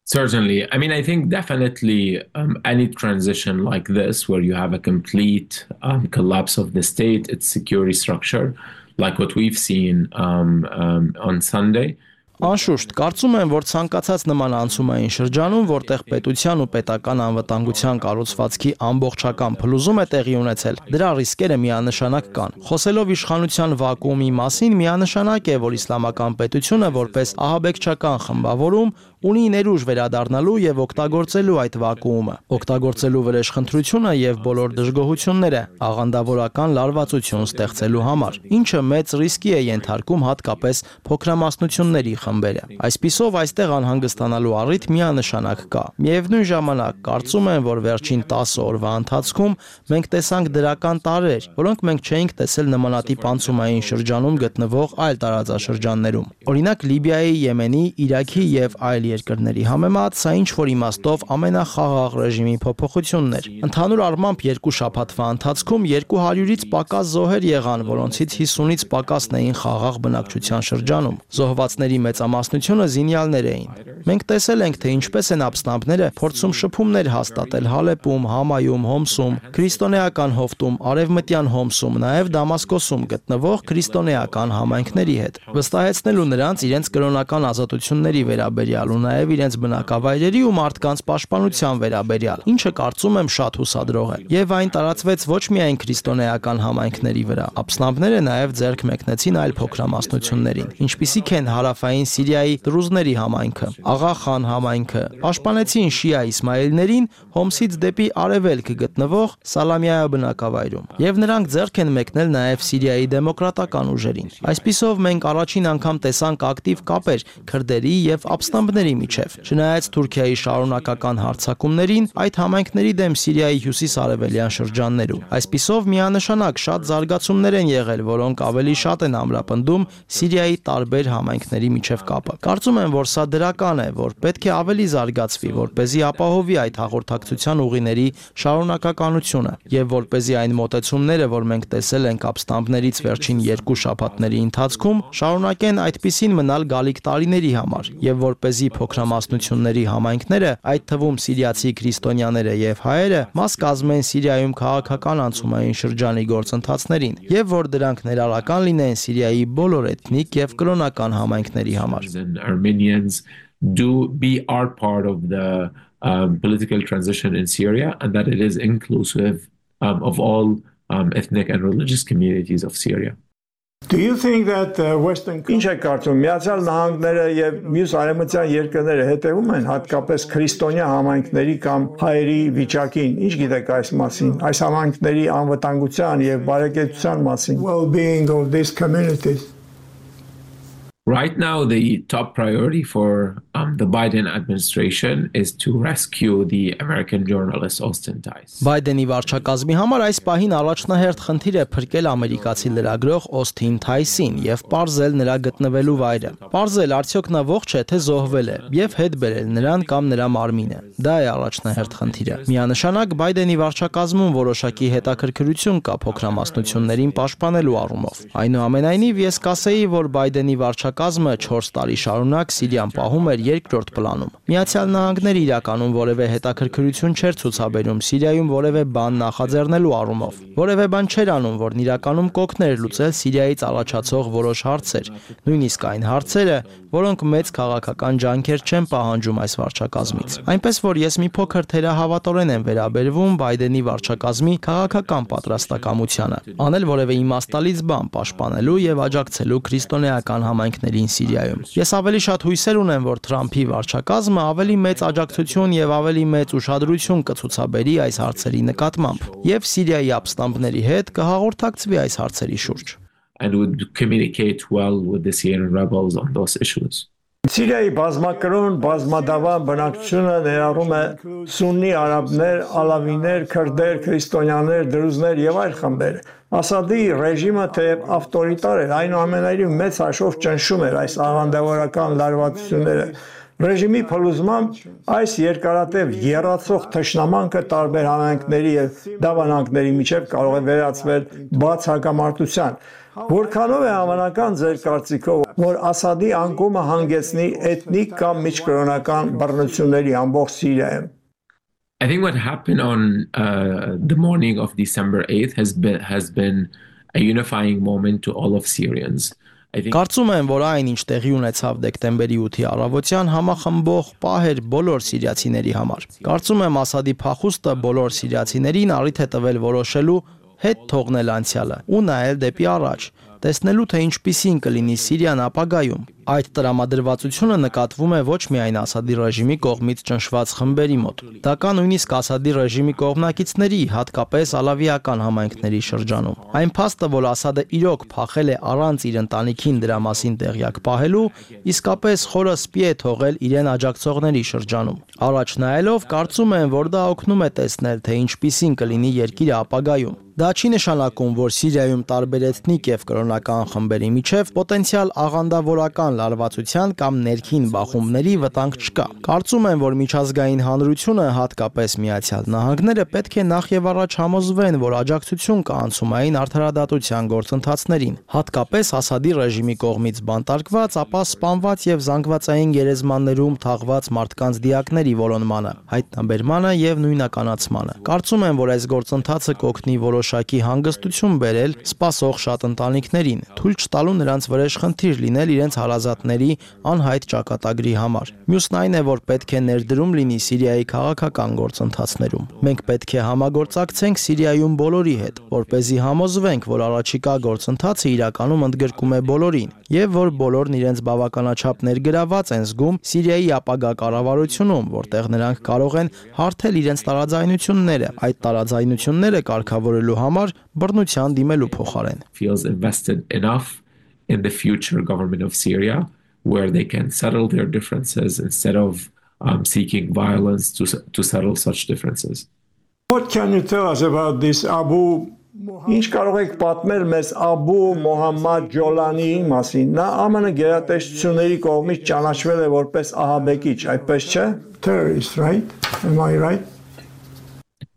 Certainly. I mean, I think definitely any transition like this, where you have a complete collapse of the state, its security structure, like what we've seen on Sunday. Անշուշտ, կարծում եմ, որ ցանկացած նման անցումային շրջանում, որտեղ պետության ու պետական անվտանգության կառուցվածքի ամբողջական փլուզում է տեղի ունեցել, դրա ռիսկերը միանշանակ կան։ Խոսելով իշխանության վակուումի մասին, միանշանակ է, որ իսլամական պետությունը որպես ահաբեկչական խմբավորում ունի ներուժ վերադառնալու եւ օգտագործելու այդ վակուումը, օգտագործելու վրեժխնդրությունը եւ բոլոր դժգոհությունները աղանդավորական լարվածություն ստեղծելու համար, ինչը մեծ ռիսկի է ենթարկում հատկապես փոքրամասնությունների խմբերը։ Այսպիսով այստեղ անհանգստանալու առիթ միանշանակ կա։ Միևնույն ժամանակ կարծում եմ, որ վերջին 10 օրվա ընթացքում մենք տեսանք դրական տարրեր, որոնք մենք չէինք տեսել նմանատիպ անցումային շրջանում գտնվող այլ տարածաշրջաններում։ Օրինակ Լիբիայի, Եմենի, Իրաքի եւ այլ երկրների համեմատ սա ինչ որ իմաստով ամենախաղաղ ռեժիմի փոփոխությունն էր։ Ընդհանուր առմամբ երկու շաբաթվա ընթացքում 200-ից պակաս զոհեր եղան, որոնցից 50-ից պակասն էին խաղաղ բնակչության շրջանում։ Զոհվածների մեծամասնությունը զինյալներ էին։ Մենք տեսել ենք, թե ինչպես են ապստամբները փորձում շփումներ հաստատել Հալեպում, Համայում, Հոմսում, քրիստոնեական հովտում, Արևմտյան Հոմսում, նաև Դամասկոսում գտնվող քրիստոնեական համայնքների հետ, վստահեցնելու նրանց իրենց կրոնական ազատությունների վերաբերյալ ու նաև իրենց բնակավայրերի ու մարդկանց պաշտպանության վերաբերյալ, ինչը կարծում եմ շատ հուսադրող է։ Եվ այն տարածվեց ոչ միայն քրիստոնեական համայնքների վրա, ապստամբները նաև ձեռք մեկնեցին այլ փոքրամասնություններին, ինչպիսիք են հարավային Սիրիայի դրուզների համայնքը, Աղա Խան համայնքը, պաշտպանեցին շիա իսմայելներին Հոմսից դեպի արևելք գտնվող Սալամիա բնակավայրում, եւ նրանք ձեռք են մեկնել նաև Սիրիայի դեմոկրատական ուժերին։ Այսպիսով մենք առաջին անգամ տեսանք ակտիվ կապեր քրդերի եւ ապստամբների միջև։ Չնայած Թուրքիայի շարունակական հարձակումներին այդ համայնքների դեմ Սիրիայի հյուսիս-արևելյան շրջաններում, այսպիսով միանշանակ շատ զարգացումներ են եղել, որոնք ավելի շատ են ամրապնդում Սիրիայի տարբեր համայնքների միջև կապը։ Կարծում եմ, որ սա դրական է, որ պետք է ավելի զարգացվի, որպեսզի ապահովի այդ հաղորդակցության ուղիների շարունակականությունը եւ որպեսզի այն մոտեցումները, որ մենք տեսել ենք ապստամբներից վերջին 2 շաբաթների ընթացքում, շարունակեն այդպիսին մնալ գալիք տարիների համար եւ որպեսզի փոքրամասնությունների համայնքները, այդ թվում սիրիացի քրիստոնյաները եւ հայերը, մաս կազմեն Սիրիայում քաղաքական անցումային շրջանի գործընթացներին եւ որ դրանք ներառական լինեն Սիրիայի բոլոր էթնիկ եւ կրոնական համայնքների համար։ Armenians are part of the political transition in Syria, and that it is inclusive of all ethnic and religious communities of Syria. Do you think that Western Ինչ է կարծում Միացյալ Նահանգները եւ մյուս արևմտյան երկրները հետևում են հատկապես քրիստոնյա համայնքների կամ հայերի վիճակին ինչ գիտեք այս մասին այս համայնքների անվտանգության եւ բարեկեցության մասին well-being of these communities Right now, the top priority for the Biden administration is to rescue the American journalist Austin Tice. Բայդենի վարչակազմի համար այս պահին առաջնահերթ խնդիր է փրկել ամերիկացի լրագրող Օսթին Թայսին եւ պարզել նրա գտնվելու վայրը։ Պարզել արդյոք նա ողջ է թե զոհվել է եւ հետ բերել նրան կամ նրա մարմինը։ Դա է առաջնահերթ խնդիրը։ Միանշանակ Բայդենի վարչակազմում որոշակի հետաքրքրություն կա փոքրամասնություններին պաշտպանելու առումով։ Այնուամենայնիվ ես կասեի, որ Բայդենի վարչակազմը 4 տարի շարունակ Սիրիան պահում էր երկրորդ պլանում։ Միացյալ Նահանգները իրականում որևէ հետաքրքրություն չէր ցուցաբերում Սիրիայում որևէ բան նախաձեռնելու առումով։ Որևէ բան չէր անում, որն իրականում կօգներ լուծել Սիրիայից առաջացող որոշ հարցեր, նույնիսկ այն հարցերը, որոնք մեծ քաղաքական ջանքեր չեն պահանջում այս վարչակազմից։ Այնպես որ ես մի փոքր թերահավատորեն եմ վերաբերվում Բայդենի վարչակազմի քաղաքական պատրաստակամությանը, անել որևէ իմաստալից բան պաշտպանելու եւ աջակցելու քրիստոնեական համայնքներին Սիրիայում։ Ես ավելի շատ հույսեր ունեմ, որ Թրամփի վարչակազմը ավելի մեծ աջակցություն եւ ավելի մեծ ուշադրություն կցուցաբերի այս հարցերի նկատմամբ եւ Սիրիայի ապստամբների հետ կհաղորդակցվի այս հարցերի շուրջ։ And would communicate well with the Syrian rebels on those issues. Սիրիայի բազմակրոն բազմադավան բնակչությունը ներառում է սուննի արաբներ, ալավիներ, քրդեր, քրիստոնյաներ, դրուզներ եւ այլ խմբեր։ Ասադի ռեժիմը թեև ավտորիտար էր, այնուամենայնիվ մեծ հաշվով ճնշում էր այս աղանդավորական լարվածությունները։ Ռեժիմի փլուզմամբ այս երկարատև եռացող թշնամանքը տարբեր համայնքների եւ դավանանքների միջև կարող է վերածվել բաց հակամարտության։ Որքանով է հավանական ձեր կարծիքով, որ Ասադի անկումը հանգեցնի էթնիկ կամ միջկրոնական բռնությունների ամբողջ Սիրիայում։ I think what happened on the morning of December 8th has been a unifying moment to all of Syrians. Կարծում եմ, որ այն ինչ տեղի ունեցավ դեկտեմբերի 8-ի առավոտյան համախմբող պահ էր բոլոր սիրիացիների համար։ Կարծում եմ Ասադի փախուստը բոլոր սիրիացիներին առիթ է տվել որոշելու հետ թողնել անցյալը ու նայել դեպի առաջ, տեսնելու թե ինչպիսին կլինի Սիրիան ապագայում։ Այդ տրամադրվածությունը նկատվում է ոչ միայն Ասադի ռեժիմի կողմից ճնշված խմբերի մոտ։ Դա կա նույնիսկ Ասադի ռեժիմի կողմնակիցների, հատկապես ալավիական համայնքների շրջանում։ Այն փաստը, որ Ասադը իրոք փախել է առանց իր ընտանիքին դրա մասին տեղյակ պահելու, իսկապես խորը սպի է թողել իրեն աջակցողների շրջանում։ Առաջ նայելով, կարծում եմ, որ դա օգնում է տեսնել, թե ինչպիսին կլինի երկիրը ապագայում։ Դա չի նշանակում, որ Սիրիայում տարբեր էթնիկ եւ կրոնական խմբերի միջև պոտենցիալ աղանդավորական լարվածության կամ ներքին բախումների վտանգ չկա։ Կարծում եմ, որ միջազգային հանրությունը, հատկապես Միացյալ Նահանգները, պետք է նախ եւ առաջ համոզվեն, որ աջակցություն կա անցումային արդարադատության գործընթացներին, հատկապես Ասադի ռեժիմի կողմից բանտարկված, ապա սպանված եւ զանգվածային գերեզմաններում թաղված մարդկանց դիակների որոնմանը, հայտնաբերմանը եւ նույնականացմանը։ Կարծում եմ, որ այս գործընթացը կօգնի որոշակի հանգստություն բերել սպասող շատ ընտանիքներին, թույլ չտալու նրանց վրեժ խնդիր լինել իրենց հարազատների անհայտ ճակատագրի համար։ Մյուսն այն է, որ պետք է ներդրում լինի Սիրիայի քաղաքական գործընթացներում։ Մենք պետք է համագործակցենք Սիրիայում բոլորի հետ, որպեսզի համոզվենք, որ առաջիկա գործընթացը իրականում ընդգրկում է բոլորին, եւ որ բոլորն իրենց բավականաչափ ներգրաված են զգում Սիրիայի ապագա կառավարությունում, որտեղ նրանք կարող են հարթել իրենց տարաձայնությունները, այդ տարաձայնությունները կարգավորելու համար բռնության դիմելու փոխարեն։ Feels invested enough in the future government of Syria where they can settle their differences instead of seeking violence to settle such differences. What can you tell us about this Ինչ կարող եք պատմել մեզ Աբու Մոհամմադ Ջոլանիի մասին։ Նա ԱՄՆ գերատեսչությունների կողմից ճանաչվել է որպես ահաբեկիչ, այդպես չէ? Terrorist, right? Am I right?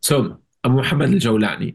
So, Abu Muhammad al-Jawlani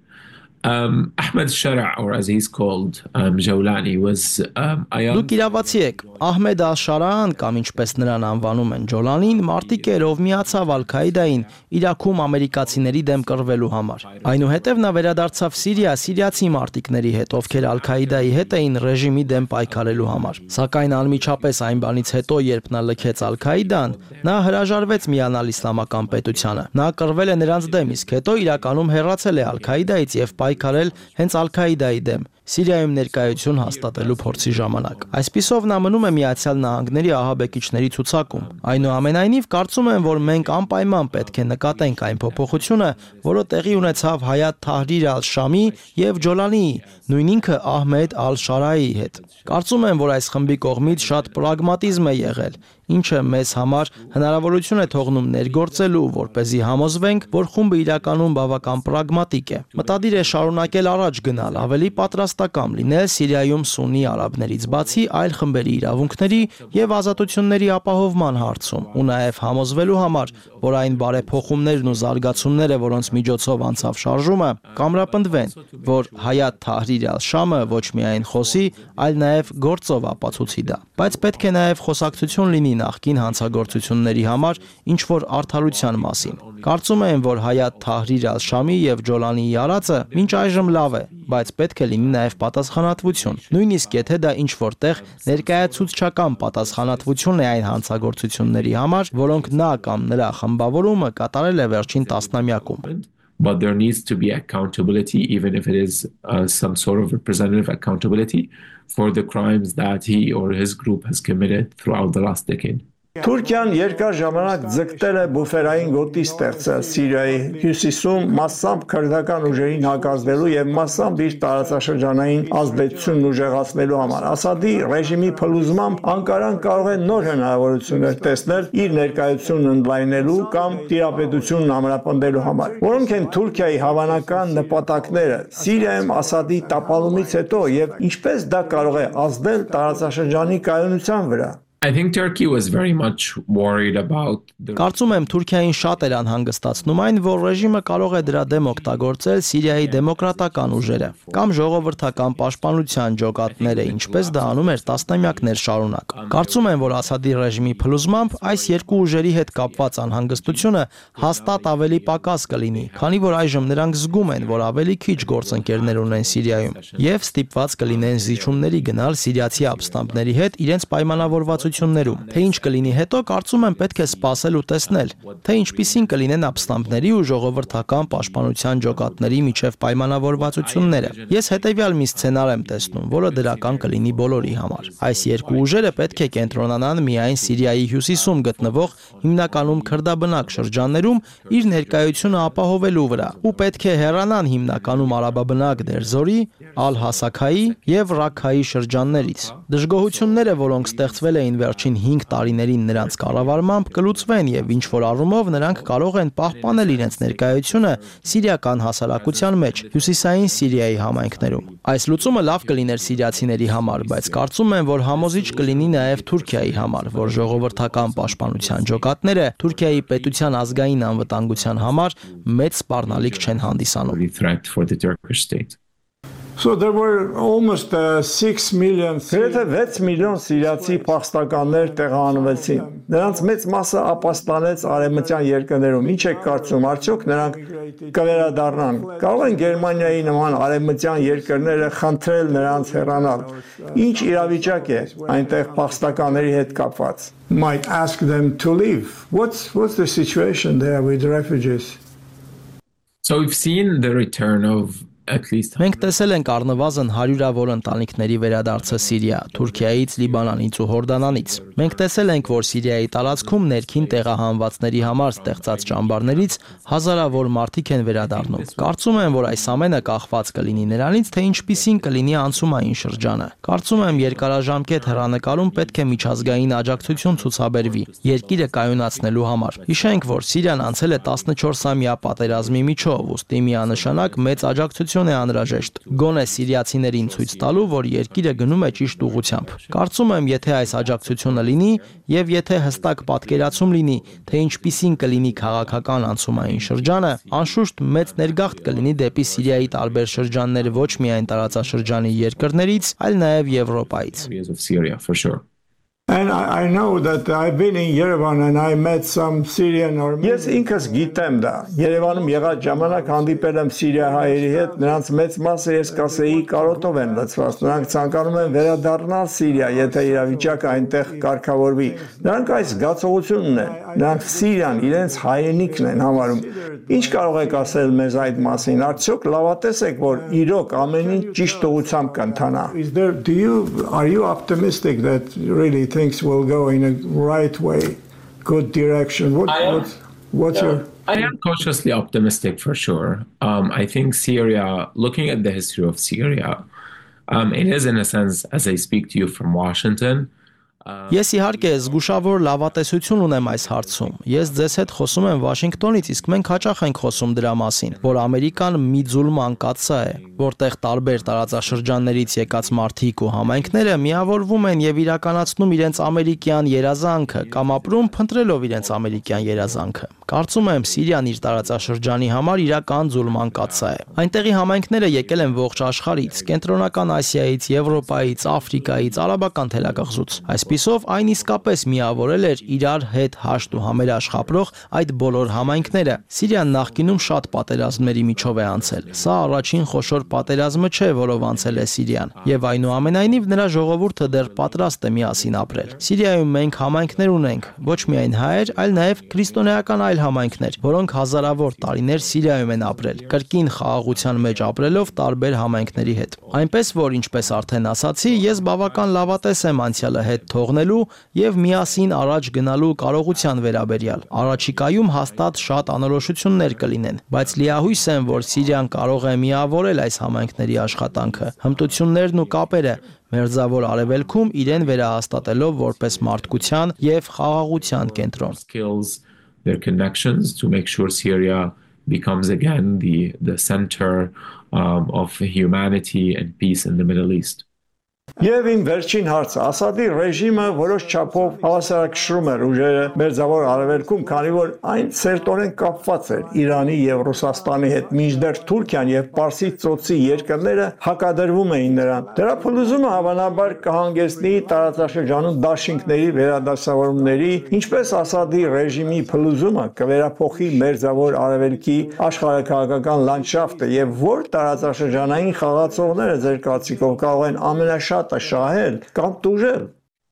Ahmed Shara, or as he's called, Jawlani, was a young... Դուք իրավացի եք, Ահմեդ Ալ-Շարան կամ ինչպես նրան անվանում են Ջոլանին, մարտիկ էր, ով միացավ Ալ-Քաիդային Իրաքում ամերիկացիների դեմ կռվելու համար։ Այնուհետև նա վերադարձավ Սիրիա սիրիացի մարտիկների հետ, ովքեր Ալ-Քաիդայի հետ էին ռեժիմի դեմ պայքարելու համար։ Սակայն անմիջապես այն բանից հետո, երբ նա լքեց Ալ-Քաիդան, նա հրաժարվեց միանալ իսլամական պետությանը։ Նա կռվել է նրանց դեմ, իսկ հետո իրականում հեռացել է Ալ-Քաիդայից եւ պայքարել հենց Ալ-Քաիդայի դեմ Սիրիայում ներկայություն հաստատելու փորձի ժամանակ։ Այսպիսով նա մնում է Միացյալ Նահանգների ահաբեկիչների ցուցակում։ Այնուամենայնիվ կարծում եմ, որ մենք անպայման պետք է նկատենք այն փոփոխությունը, որը տեղի ունեցավ Հայաթ Թահրիր Ալ-Շամի եւ Ջոլանիի, նույն ինքը Ահմեդ Ալ-Շարայի հետ։ Կարծում եմ, որ այս խմբի կողմից շատ պրագմատիզմ է եղել, ինչը մեզ համար հնարավորություն է թողնում ներգործելու, որպեսզի համոզվենք, որ խումբը իրականում բավական պրագմատիկ է։ Մտադիր է շարունակել առաջ գնալ, ավելի պատրաստական լինել Սիրիայում սուննի արաբներից բացի այլ խմբերի իրավունքների եւ ազատությունների ապահովման հարցում, ու նաեւ համոզվելու համար, որ այն բարեփոխումներն ու զարգացումները, որոնց միջոցով անցավ շարժումը, կամրապնդվեն, որ Հայաթ Թահրիր Ալ-Շամը ոչ միայն խոսի, այլ նաեւ գործով ապացուցի դա։ Բայց պետք է նաեւ խոսակցություն լինի նախկին հանցագործությունների համար ինչ որ արդարության մասին։ Կարծում եմ, որ Հայաթ Թահրիր Ալ-Շամի եւ Ջոլանիի արածը մինչ այժմ լավ է, բայց պետք է լինի նաեւ պատասխանատվություն։ Նույնիսկ եթե դա ինչ որտեղ ներկայացուցչական պատասխանատվություն է այն հանցագործությունների համար, որոնք նա կամ նրա խմբավորումը կատարել է վերջին տասնամյակում։ But there needs to be accountability, even if it is some sort of representative accountability for the crimes that he or his group has committed throughout the last decade. Թուրքիան երկար ժամանակ ձգտել է բուֆերային գոտի ստեղծել Սիրիայի հյուսիսում մասամբ քրդական ուժերին հակազդելու եւ մասամբ իր տարածաշրջանային ազդեցությունն ուժեղացնելու համար։ Ասադի ռեժիմի փլուզմամբ Անկարան կարող է նոր հնարավորություններ տեսնել իր ներկայությունն ընդլայնելու կամ տիրապետությունն ամրապնդելու համար։ Որոնք են Թուրքիայի հավանական նպատակները Սիրիայում Ասադի տապալումից հետո եւ ինչպես դա կարող է ազդել տարածաշրջանի կայունության վրա։ I think Turkey was very much worried about Կարծում եմ Թուրքիային շատ էր անհանգստացնում այն, որ ռեժիմը կարող է դրա դեմ օգտագործել Սիրիայի դեմոկրատական ուժերը կամ ժողովրդական պաշտպանության ջոկատները, ինչպես դա անում էր տասնամյակներ շարունակ։ Կարծում եմ, որ Ասադի ռեժիմի փլուզմամբ այս երկու ուժերի հետ կապված անհանգստությունը հաստատ ավելի պակաս կլինի, քանի որ այժմ նրանք զգում են, որ ավելի քիչ գործընկերներ ունեն Սիրիայում եւ ստիպված կլինեն զիջումների գնալ սիրիացի ապստամբների հետ իրենց պայմանավորված Թե ինչ կլինի հետո, կարծում եմ պետք է սպասել ու տեսնել, թե ինչպիսին կլինեն ապստամբների ու ժողովրդական պաշտպանության ջոկատների միջև պայմանավորվածությունները։ Ես հետևյալ մի սցենար եմ տեսնում, որը դրական կլինի բոլորի համար։ Այս երկու ուժերը պետք է կենտրոնանան միայն Սիրիայի հյուսիսում գտնվող հիմնականում քրդաբնակ շրջաններում իր ներկայությունը ապահովելու վրա, ու պետք է հեռանան հիմնականում արաբաբնակ Դերզորի, Ալ-Հասաքայի եւ Ռաքքայի շրջաններից։ Դժգոհությունները, որոնք ստեղծվել էին վերջին 5 տարիներին նրանց կառավարմամբ կլուծվեն եւ ինչ որ առումով նրանք կարող են պահպանել իրենց ներկայությունը սիրիական հասարակության մեջ հյուսիսային Սիրիայի համայնքներում։ Այս լուծումը լավ կլիներ սիրիացիների համար, բայց կարծում եմ, որ համոզիչ կլինի նաեւ Թուրքիայի համար, որ ժողովրդական պաշտպանության ջոկատները Թուրքիայի պետության ազգային անվտանգության համար մեծ սպառնալիք չեն հանդիսանում։ So there were almost 6 million. Գրեթե 6 միլիոն սիրիացի փախստականներ տեղահանվեցին։ Նրանց մեծ մասը ապաստանեց արևմտյան երկրներում։ Ինչ եք կարծում, արդյոք նրանք կվերադառնան։ Կարող են Գերմանիայի նման արևմտյան երկրները խնդրել նրանց հեռանալ։ Ինչ իրավիճակ է այնտեղ փախստականների հետ կապված? Might ask them to leave. What's the situation there with the refugees? So we've seen the return of Մենք տեսել ենք առնվազն 100-ավոր ընտանիքների վերադարձը Սիրիա, Թուրքիայից, Լիբանանից ու Հորդանանից։ Մենք տեսել ենք, որ Սիրիայի տարածքում ներքին տեղահանվածների համար ստեղծած ճամբարներից հազարավոր մարդիկ են վերադառնում։ Կարծում եմ, որ այս ամենը կախված կլինի նրանից, թե ինչպիսին կլինի անցումային շրջանը։ Կարծում եմ, երկարաժամկետ հեռանկարում պետք է միջազգային աջակցություն ցուցաբերվի երկիրը կայունացնելու համար։ Հիշենք, որ Սիրիան անցել է 14-ամյա պատերազմի միջով, ուստի միանշանակ մեծ աջակցություն անկախություն է անհրաժեշտ, գոնե սիրիացիներին ցույց տալու, որ երկիրը գնում է ճիշտ ուղղությամբ։ Կարծում եմ, եթե այս աջակցությունը լինի եւ եթե հստակ պատկերացում լինի, թե ինչպիսին կլինի քաղաքական անցումային շրջանը, անշուշտ մեծ ներգաղթ կլինի դեպի Սիրիայի տարբեր շրջաններ ոչ միայն տարածաշրջանի երկրներից, այլ նաեւ Եվրոպայից։ And I know that I've been in Yerevan and I met some Syrian or Yes, ինքս գիտեմ դա։ Երևանում եղած ժամանակ հանդիպել եմ սիրիահայերի հետ, նրանց մեծ մասը ես կասեի կարոտով են լցված։ Նրանք ցանկանում են վերադառնալ Սիրիա, եթե իրավիճակը այնտեղ կարգավորվի։ Նրանք այս զգացողությունն են։ Նրանք Սիրիան իրենց հայրենիքն են համարում։ Ինչ կարող եք ասել մեզ այդ մասին։ Արդյոք լավատես եք, որ իրոք ամեն ինչ ճիշտ ուղղությամբ կընթանա։ Are you optimistic that really things will go in a right way, good direction? What's your... I am cautiously optimistic for sure. I think Syria, looking at the history of Syria, it is in a sense, as I speak to you from Washington, Ես իհարկե զգուշավոր լավատեսություն ունեմ այս հարցում։ Ես ձեզ հետ խոսում եմ Վաշինգտոնից, իսկ մենք հաճախ ենք խոսում դրա մասին, որ Ամերիկան մի ձուլման կաթսա է, որտեղ տարբեր տարածաշրջաններից եկած մարդիկ ու համայնքները միավորվում են եւ իրականացնում իրենց ամերիկյան երազանքը կամ ապրում փնտրելով իրենց ամերիկյան երազանքը։ Կարծում եմ Սիրիան իր տարածաշրջանի համար իրական ձուլման կաթսա է։ Այնտեղի համայնքները եկել են ողջ աշխարհից, Կենտրոնական Ասիայից, Եվրոպայից, Աֆրիկայից, Արաբական թելակղզուց։ Այսպիսով այն իսկապես միավորել էր իրար հետ հաշտ ու համերաշխ ապրող այդ բոլոր համայնքները։ Սիրիան նախկինում շատ պատերազմների միջով է անցել։ Սա առաջին խոշոր պատերազմը չէ, որով անցել է Սիրիան, եւ այնուամենայնիվ նրա ժողովուրդը դեռ պատրաստ է միասին ապրել։ Սիրիայում մենք համայնքներ ունենք, ոչ միայն հայեր, այլ նաեւ քրիստոնեական այլ համայնքներ, որոնք հազարավոր տարիներ Սիրիայում են ապրել, կրկին խաղաղության մեջ ապրելով տարբեր համայնքների հետ։ Այնպես որ, ինչպես արդեն ասացի, ես բավական լավատես եմ անցյալը հետ թողնելու եւ միասին առաջ գնալու կարողության վերաբերյալ։ Առաջիկայում հաստատ շատ անորոշություններ կլինեն, բայց լիահույս եմ, որ Սիրիան կարող է միավորել այս համայնքների աշխատանքը, հմտություններն ու կապերը, Մերձավոր Արևելքում իրեն վերահաստատելով որպես մարդկության եւ խաղաղության կենտրոն։ Their connections to make sure Syria becomes again the center of humanity and peace in the Middle East. Եվ իմ վերջին հարցը, Ասադի ռեժիմը որոշ չափով հավասարակշռում էր ուժերը Մերձավոր Արևելքում, քանի որ այն սերտորեն կապված էր Իրանի եւ Ռուսաստանի հետ, մինչդեռ Թուրքիան եւ Պարսից ծոցի երկրները հակադրվում էին նրան։ Դրա փլուզումը հավանաբար կհանգեցնի տարածաշրջանում դաշինքների վերադասավորումների, ինչպես Ասադի ռեժիմի փլուզումը կվերափոխի Մերձավոր Արևելքի աշխարհաքաղաքական լանդշաֆտը եւ որ տարածաշրջանային խաղացողները ձեր կարծիքով կարող են ամենաշատ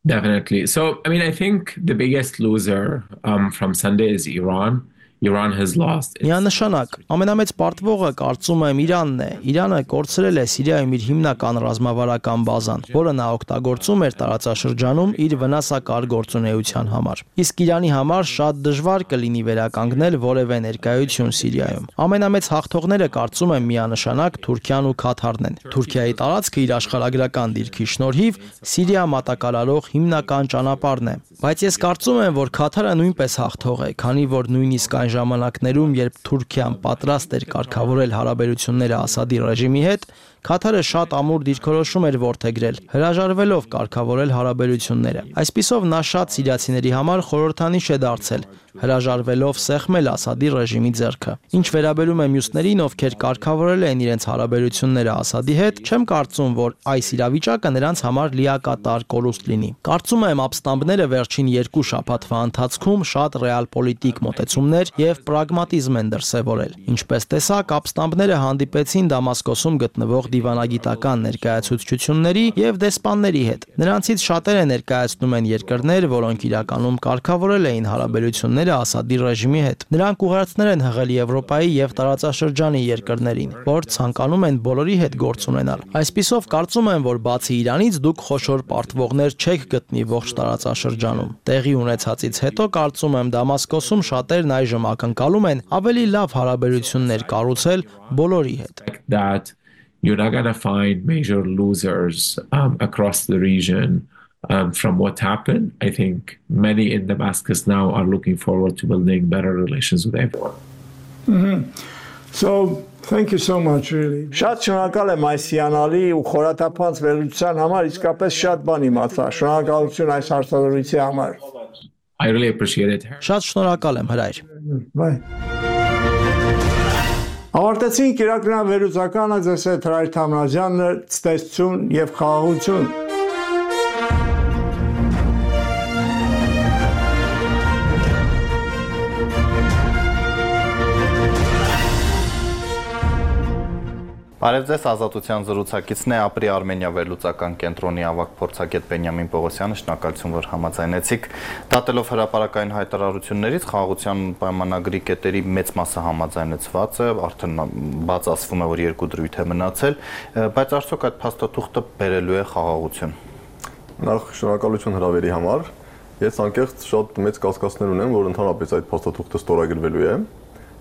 Definitely. So, I mean, I think the biggest loser from Sunday is Iran. Iran has lost. Միանշանակ, ամենամեծ պարտվողը կարծում եմ Իրանն է։ Իրանը կորցրել է Սիրիայում իր հիմնական ռազմավարական բազան, որը նա օգտագործում էր տարածաշրջանում իր վնասակար գործունեության համար։ Իսկ Իրանի համար շատ դժվար կլինի վերականգնել որևէ ներկայություն Սիրիայում։ Ամենամեծ հաղթողները կարծում եմ միանշանակ Թուրքիան ու Քաթարն են։ Թուրքիայի տարածքը իր աշխարհագրական դիրքի շնորհիվ Սիրիա մատակարարող հիմնական ճանապարհն է։ Բայց ես կարծում եմ, որ Քաթարը նույնպես հաղթող է, քանի որ նույնիսկ այն ժամանակներում, երբ Թուրքիան պատրաստ էր կարգավորել հարաբերությունները Ասադի ռեժիմի հետ, Քաթարը շատ ամուր դիրքորոշում էր որդեգրել, հրաժարվելով կարգավորել հարաբերությունները։ Այսպիսով նա շատ սիրիացիների համար խորհրդանիշ է դարձել, հրաժարվելով սեղմել Ասադի ռեժիմի ձեռքը։ Ինչ վերաբերում է մյուսներին, ովքեր կարգավորել են իրենց հարաբերությունները Ասադի հետ, չեմ կարծում, որ այս իրավիճակը նրանց համար լիակատար կորուստ լինի։ Կարծում եմ, ապստամբները վերջին 2 շաբաթվա ընթացքում շատ ռեալպոլիտիկ մոտեցումներ եւ պրագմատիզմ են դրսեւորել։ Ինչպես տեսակ, ապստամբները հանդիպեցին Դամասկոսում գտնվող դիվանագիտական ներկայացուցչությունների եւ դեսպանների հետ։ Նրանցից շատերը ներկայացնում են երկրներ, որոնք իրականում կարգավորել էին հարաբերությունները Ասադի ռեժիմի հետ։ Նրանք ուղերձներ են հղել Եվրոպայի եւ տարածաշրջանի երկրներին, որ ցանկանում են բոլորի հետ գործ ունենալ։ Այսպիսով կարծում եմ, որ բացի Իրանից դուք խոշոր պարտվողներ չեք գտնի ողջ տարածաշրջանում։ Տեղի ունեցածից հետո կարծում եմ Դամասկոսում շատերն այժմ ակնկալում են ավելի լավ հարաբերություններ կառուցել բոլորի հետ։ You're not going to find major losers across the region from what happened. I think many in Damascus now are looking forward to building better relations with everyone. So Thank you so much really. Շատ շնորհակալ եմ այս հիանալի ու խորաթափանց վերլուծության համար, իսկապես շատ բան իմացա։ Շնորհակալություն այս հարցազրույցի համար։ I really appreciate it. Շատ շնորհակալ եմ, հրայր։ Bye. Ավարտեցինք իրականավերլուծականը, ձեզ հետ Հրայր Թամրազյանը, ցտեսություն եւ խաղաղություն։ Բարև ձեզ, Ազատության զրուցակիցն է Ապրի Արմենիա վերլուծական կենտրոնի ավագ փորձագետ Բենյամին Պողոսյանը, շնորհակալություն, որ համաձայնեցիք։ Դատելով հրապարակային հայտարարություններից, խաղաղության պայմանագրի կետերի մեծ մասը համաձայնեցված է, արդեն բաց ասվում է, որ 2 դրույթ է մնացել, բայց արդյոք այդ փաստաթուղթը բերելու է խաղաղություն։ Նախ շնորհակալություն հրավերի համար։ Ես անկեղծ շատ մեծ կասկածներ ունեմ, որ ընդհանրապես այդ փաստաթուղթը ստորագրվելու է,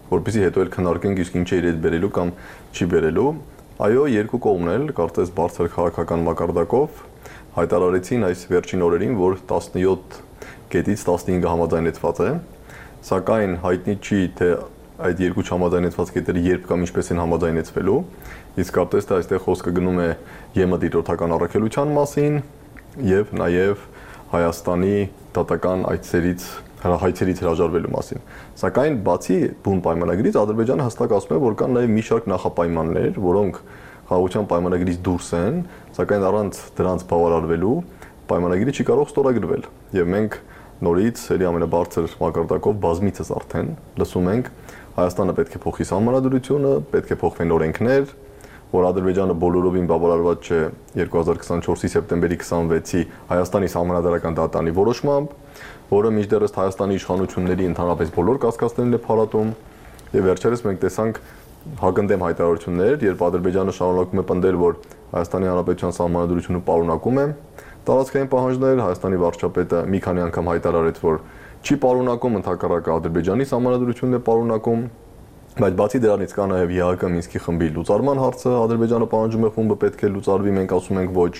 որպեսզի հետո էլ քննարկենք իսկ ինչ է իրեն բերելու կամ չի բերելու։ Այո, երկու կողմն էլ կարծես բարձր քաղաքական մակարդակով հայտարարեցին այս վերջին օրերին, որ 17 կետից 15-ը համաձայնեցված է, սակայն հայտնի չի, թե այդ երկու չհամաձայնեցված կետերը երբ կամ ինչպես են համաձայնեցվելու, իսկ կարծես թե այստեղ խոսքը գնում է ԵՄ դիտորդական առաքելության մասին եւ նաեւ Հայաստանի դատական հայցերից հրաժարվելու մասին։ Սակայն բացի բուն պայմանագրից Ադրբեջանը հստակ ասում է, որ կան նաև մի շարք նախապայմաններ, որոնք խաղաղության պայմանագրից դուրս են, սակայն առանց դրանց բավարարվելու պայմանագիրը չի կարող ստորագրվել։ Եվ մենք նորից ելի ամենաբարձր մակարդակով բազմիցս արդեն լսում ենք Հայաստանը պետք է փոխի սահմանադրությունը, պետք է փոխվեն օրենքներ, որ Ադրբեջանը բոլորովին բավարարված չէ 2024-ի սեպտեմբերի 26-ի Հայաստանի սահմանադրական դատանի որոշմամբ, որը մինչդեռս Հայաստանի իշխանությունների ընդհանրապես բոլոր կասկածներն է փարատում, եւ վերջերս մենք տեսանք հագնդեմ հայտարարություններ, երբ Ադրբեջանը շարունակում է պնդել, որ Հայաստանի Հանրապետության սահմանադրությունը պարունակում է տարածքային պահանջներ, Հայաստանի վարչապետը մի քանի անգամ հայտարարեց, որ չի պարունակում, ընդհակառակը Ադրբեջանի սահմանադրությունն է պարունակում, բայց բացի դրանից կա նաև ԵԱՀԿ Մինսկի խմբի լուծարման հարցը, Ադրբեջանը պահանջում է խումբը պետք է լուծարվի, մենք ասում ենք ոչ,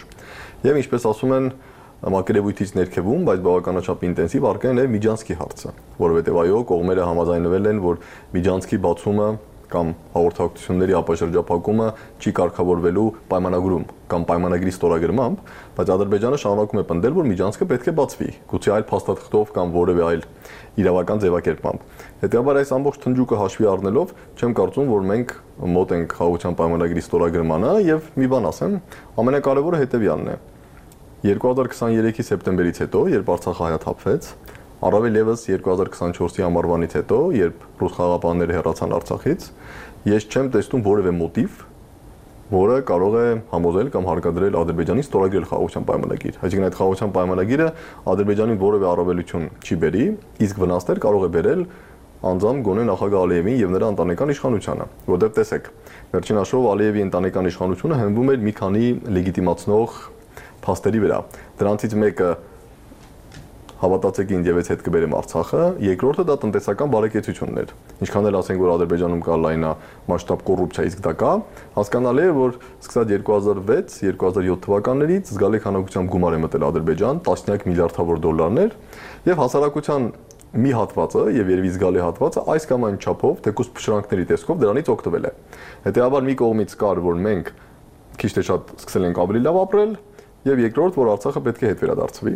եւ ինչպես ասում են մակերևույթից ներքևում, բայց բավականաչափ ինտենսիվ առկա է նաև Միջանցքի հարցը, որովհետև այո, կողմերը համաձայնվել են, որ Միջանցքի բացումը կամ հաղորդակցությունների ապաշրջափակումը չի կարգավորվելու պայմանագրում կամ պայմանագրի ստորագրմամբ, բայց Ադրբեջանը շարունակում է պնդել, որ Միջանցքը պետք է բացվի, գուցե այլ փաստաթղթով կամ որևէ այլ իրավական ձևակերպմամբ։ Հետևաբար այս ամբողջ թնջուկը հաշվի առնելով, չեմ կարծում, որ մենք մոտ ենք խաղաղության պայմանագրի ստորագրմանը, եւ մի բան ասեմ, ամենակարևորը հետեւյալն է։ 2023-ի սեպտեմբերից հետո, երբ Արցախը հայաթափվեց, առավել եւս 2024-ի ամառվանից հետո, երբ ռուս խաղաղապահները հեռացան Արցախից, ես չեմ տեսնում որևէ մոտիվ, որը կարող է համոզել կամ հարկադրել Ադրբեջանին ստորագրել խաղաղության պայմանագիր։ Այսինքն այդ խաղաղության պայմանագիրը Ադրբեջանին որևէ առավելություն չի բերի, իսկ վնասներ կարող է բերել անձամբ գոնե նախագահ Ալիևին եւ նրա ընտանեկան իշխանությանը, որտեղ տեսեք, վերջին հաշվով Ալիևի ընտանեկան իշխանությունը հենվում էր մի քանի լեգիտիմացնող փաստերի վրա։ Դրանցից մեկը հավատացեք ինձ եւ հետ կբերեմ Արցախը, երկրորդը դա տնտեսական բարեկեցությունն էր։ Ինչքան էլ ասենք, որ Ադրբեջանում կա լայնամասշտաբ կոռուպցիա, իսկ դա կա, հասկանալի է, որ սկսած 2006-2007 թվականներից զգալի քանակությամբ գումար է մտել Ադրբեջան, տասնյակ միլիարդավոր դոլարներ, եւ հասարակության մի հատվածը եւ երևի զգալի հատվածը այս կամ այն չափով թեկուզ փշրանքների տեսքով դրանից օգտվել է։ Հետեւաբար մի կողմից կար, որ մենք քիչ թե շատ սկսել ենք ավելի լավ ապրել, եւ երկրորդ, որ Արցախը պետք է հետ վերադարձվի։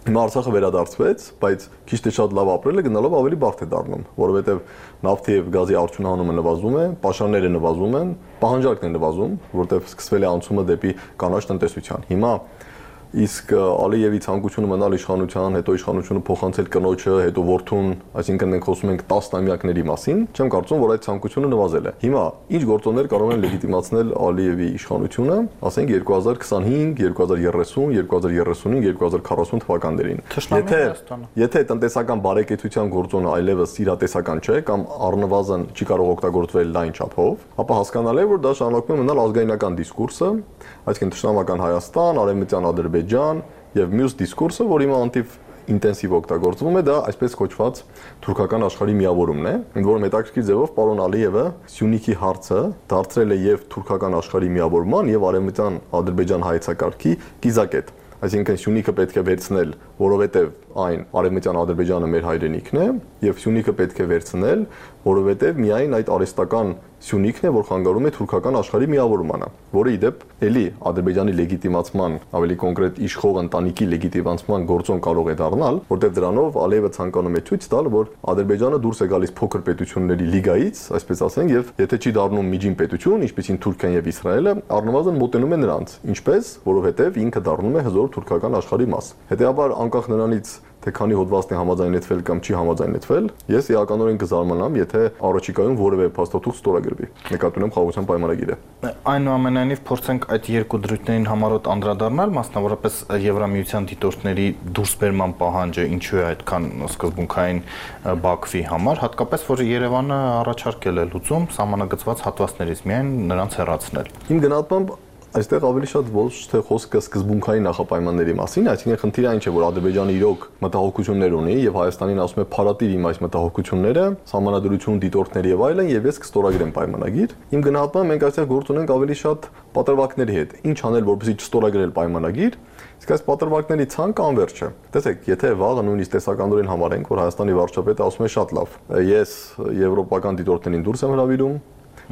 Հիմա Արցախը վերադարձվեց, բայց քիչ թե շատ լավ ապրելը գնալով ավելի բարդ է դառնում, որովհետեւ նավթի եւ գազի արդյունահանումը նվազում է, պաշարները նվազում են, պահանջարկն է նվազում, որտեղ սկսվել է անցումը դեպի կանաչ տնտեսության։ Հիմա իսկ Ալիևի ցանկությունը մնալ իշխանության, հետո իշխանությունը փոխանցել կնոջը, հետո որդուն, այսինքն մենք խոսում ենք 10 տարեկների մասին, չեմ կարծում, որ այդ ցանկությունը նվազել է։ Հիմա ինչ գործոններ կարող են լեգիտիմացնել Ալիևի իշխանությունը, ասենք 2025, 2030, 2035, 2040 թվականներին։ Եթե տնտեսական բարեկեցության գործոնը այլևս իրատեսական չէ կամ առնվազն չի կարող օգտագործվել լայն չափով, ապա հասկանալի է, որ դա շարունակում է մնալ ազգայնական դիսկուրսը, այսինքն թշնամական Հայաստան, արևմտյան Ադրբեջան եւ մյուս դիսկուրսը, որ հիմա անտիվ ինտենսիվ օգտագործվում է, դա այսպես կոչված թուրքական աշխարհի միավորումն է, ընդ որում հետաքրքիր ձևով պարոն Ալիևը Սյունիքի հարցը դարձրել է եւ թուրքական աշխարհի միավորման եւ արևմտյան Ադրբեջան հայեցակարգի կիզակետ։ Այսինքն Սյունիքը պետք է վերցնել, որովհետեւ այն արևմտյան Ադրբեջանը մեր հայրենիքն է, եւ Սյունիքը պետք է վերցնել, որովհետեւ միայն այդ արհեստական Սյունիքն է, որ խանգարում է թուրքական աշխարհի միավորմանը, որը ի դեպ էլի Ադրբեջանի լեգիտիմացման, ավելի կոնկրետ իշխող ընտանիքի լեգիտիմացման գործոն կարող է դառնալ, որտեղ դրանով Ալիևը ցանկանում է ցույց տալ, որ Ադրբեջանը դուրս է գալիս փոքր պետությունների լիգայից, այսպես ասենք, եւ եթե չի դառնում միջին պետություն, ինչպիսին Թուրքիան եւ Իսրայելը, առնվազն մոտենում է նրանց, ինչպես, որովհետեւ ինքը դառնում է հզոր թուրքական աշխարհի մաս։ Հետեւաբար անկախ նրանից թե քանի հոդվածն է համաձայնեցվել կամ չի համաձայնեցվել, ես իրականորեն կզարմանամ, եթե առաջիկայում որևէ փաստաթուղթ ստորագրվի։ Նկատի ունեմ խաղաղության պայմանագիրը։ Այնուամենայնիվ փորձենք այդ երկու դրույթներին համառոտ անդրադառնալ, մասնավորապես Եվրամիության դիտորդների դուրսբերման պահանջը ինչու է այդքան սկզբունքային Բաքվի համար, հատկապես որ Երևանը առաջարկել է լուծում սահմանագծված հատվածներից միայն նրանց հեռացնել։ Իմ գնահատմամբ այստեղ ավելի շատ ոչ թե խոսքը սկզբունքային նախապայմանների մասին, այսինքն խնդիրը այն չէ, որ Ադրբեջանը իրոք մտահոգություններ ունի եւ Հայաստանին ասում է փարատիր իմ այս մտահոգությունները, սահմանադրություն, դիտորդներ եւ այլն, եւ ես կստորագրեմ պայմանագիր։ Իմ գնահատմամբ մենք այստեղ գործ ունենք ավելի շատ պատրվակների հետ։ Ինչ անել, որպեսզի չստորագրել պայմանագիր, իսկ այս պատրվակների ցանկը անվերջ է։ Տեսեք, եթե վաղը նույնիսկ տեսականորեն համարենք, որ Հայաստանի վարչապետը ասում է շատ լավ, ես եվրոպական դիտորդներին դուրս եմ հրավիրում,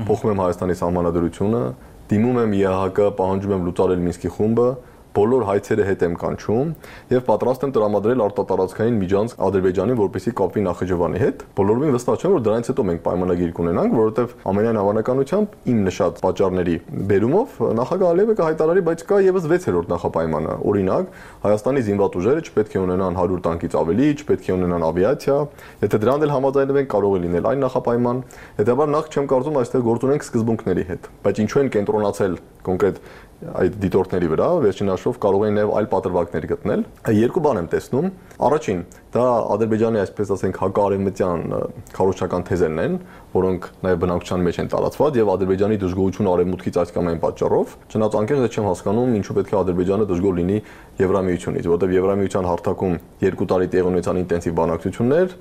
փոխում եմ Հայաստանի սահմանադրությունը, դիմում եմ ԵԱՀԿ, պահանջում եմ լուծարել Մինսկի խումբը, բոլոր հայցերը հետ եմ կանչում եւ պատրաստ եմ տրամադրել արտատարածքային միջանցք Ադրբեջանին, որպեսզի կապվի Նախիջևանի հետ։ Բոլորովին վստահ չեմ, որ դրանից հետո մենք պայմանագիր կունենանք, որովհետեւ ամենայն հավանականությամբ իմ նշած պատճառների բերումով նախագահ Ալիևը կհայտարարի, բայց կա եւս 6-րդ նախապայմանը։ Օրինակ, Հայաստանի զինված ուժերը չպետք է ունենան 100 տանկից ավելի, չպետք է ունենան ավիացիա։ Եթե դրան էլ համաձայնվենք, կարող է լինել այն նախապայման։ Հետևաբար նախ չեմ կարծում այստեղ գործ ունենք սկզբունքների հետ, բայց ինչու են կենտրոնացել կոնկրետ այդ դիտորդների վրա, վերջին հաշվով կարող են նաև այլ պատրվակներ գտնել։ Երկու բան եմ տեսնում։ Առաջին, դա Ադրբեջանի, այսպես ասենք, հակարևմտյան քարոզչական թեզերն են, որոնք նաև բնակչության մեջ են տարածված եւ Ադրբեջանի դժգոհությունը արևմուտքից այս կամ այն պատճառով։ Չնայած անկեղծ չեմ հասկանում, ինչու պետք է Ադրբեջանը դժգոհ լինի Եվրամիությունից, որովհետեւ Եվրամիության հարթակում 2 տարի տեղ ունեցան ինտենսիվ բանակցություններ,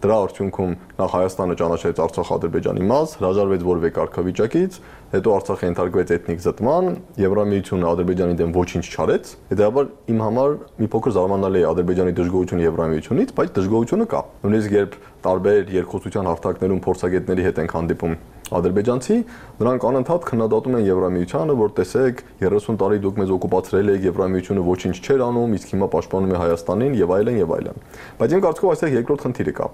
դրա արդյունքում նախ Հայաստանը ճանաչեց Արցախ-Ադրբեջանի մաս, հրաժարվեց որևէ կարգավիճակից, հետո Արցախը ենթարկվեց էթնիկ զտման, Եվրամիությունը Ադրբեջանի դեմ ոչինչ չարեց։ Հետեւաբար իմ համար մի փոքր զարմանալի է Ադրբեջանի դժգոհությունը Եվրամիությունից, բայց դժգոհությունը կա։ Նույնիսկ երբ տարբեր երկխոսության հարթակներում փորձագետների հետ ենք հանդիպում ադրբեջանցի, նրանք անընդհատ քննադատում են Եվրամիությանը, որ տեսեք 30 տարի դուք մեզ օկուպացրել եք, Եվրամիությունը ոչինչ չէր անում, իսկ հիմա պաշտպանում է Հայաստանին եւ այլն եւ այլն։ Բայց իմ կարծիքով այստեղ երկրորդ խնդիրը կա։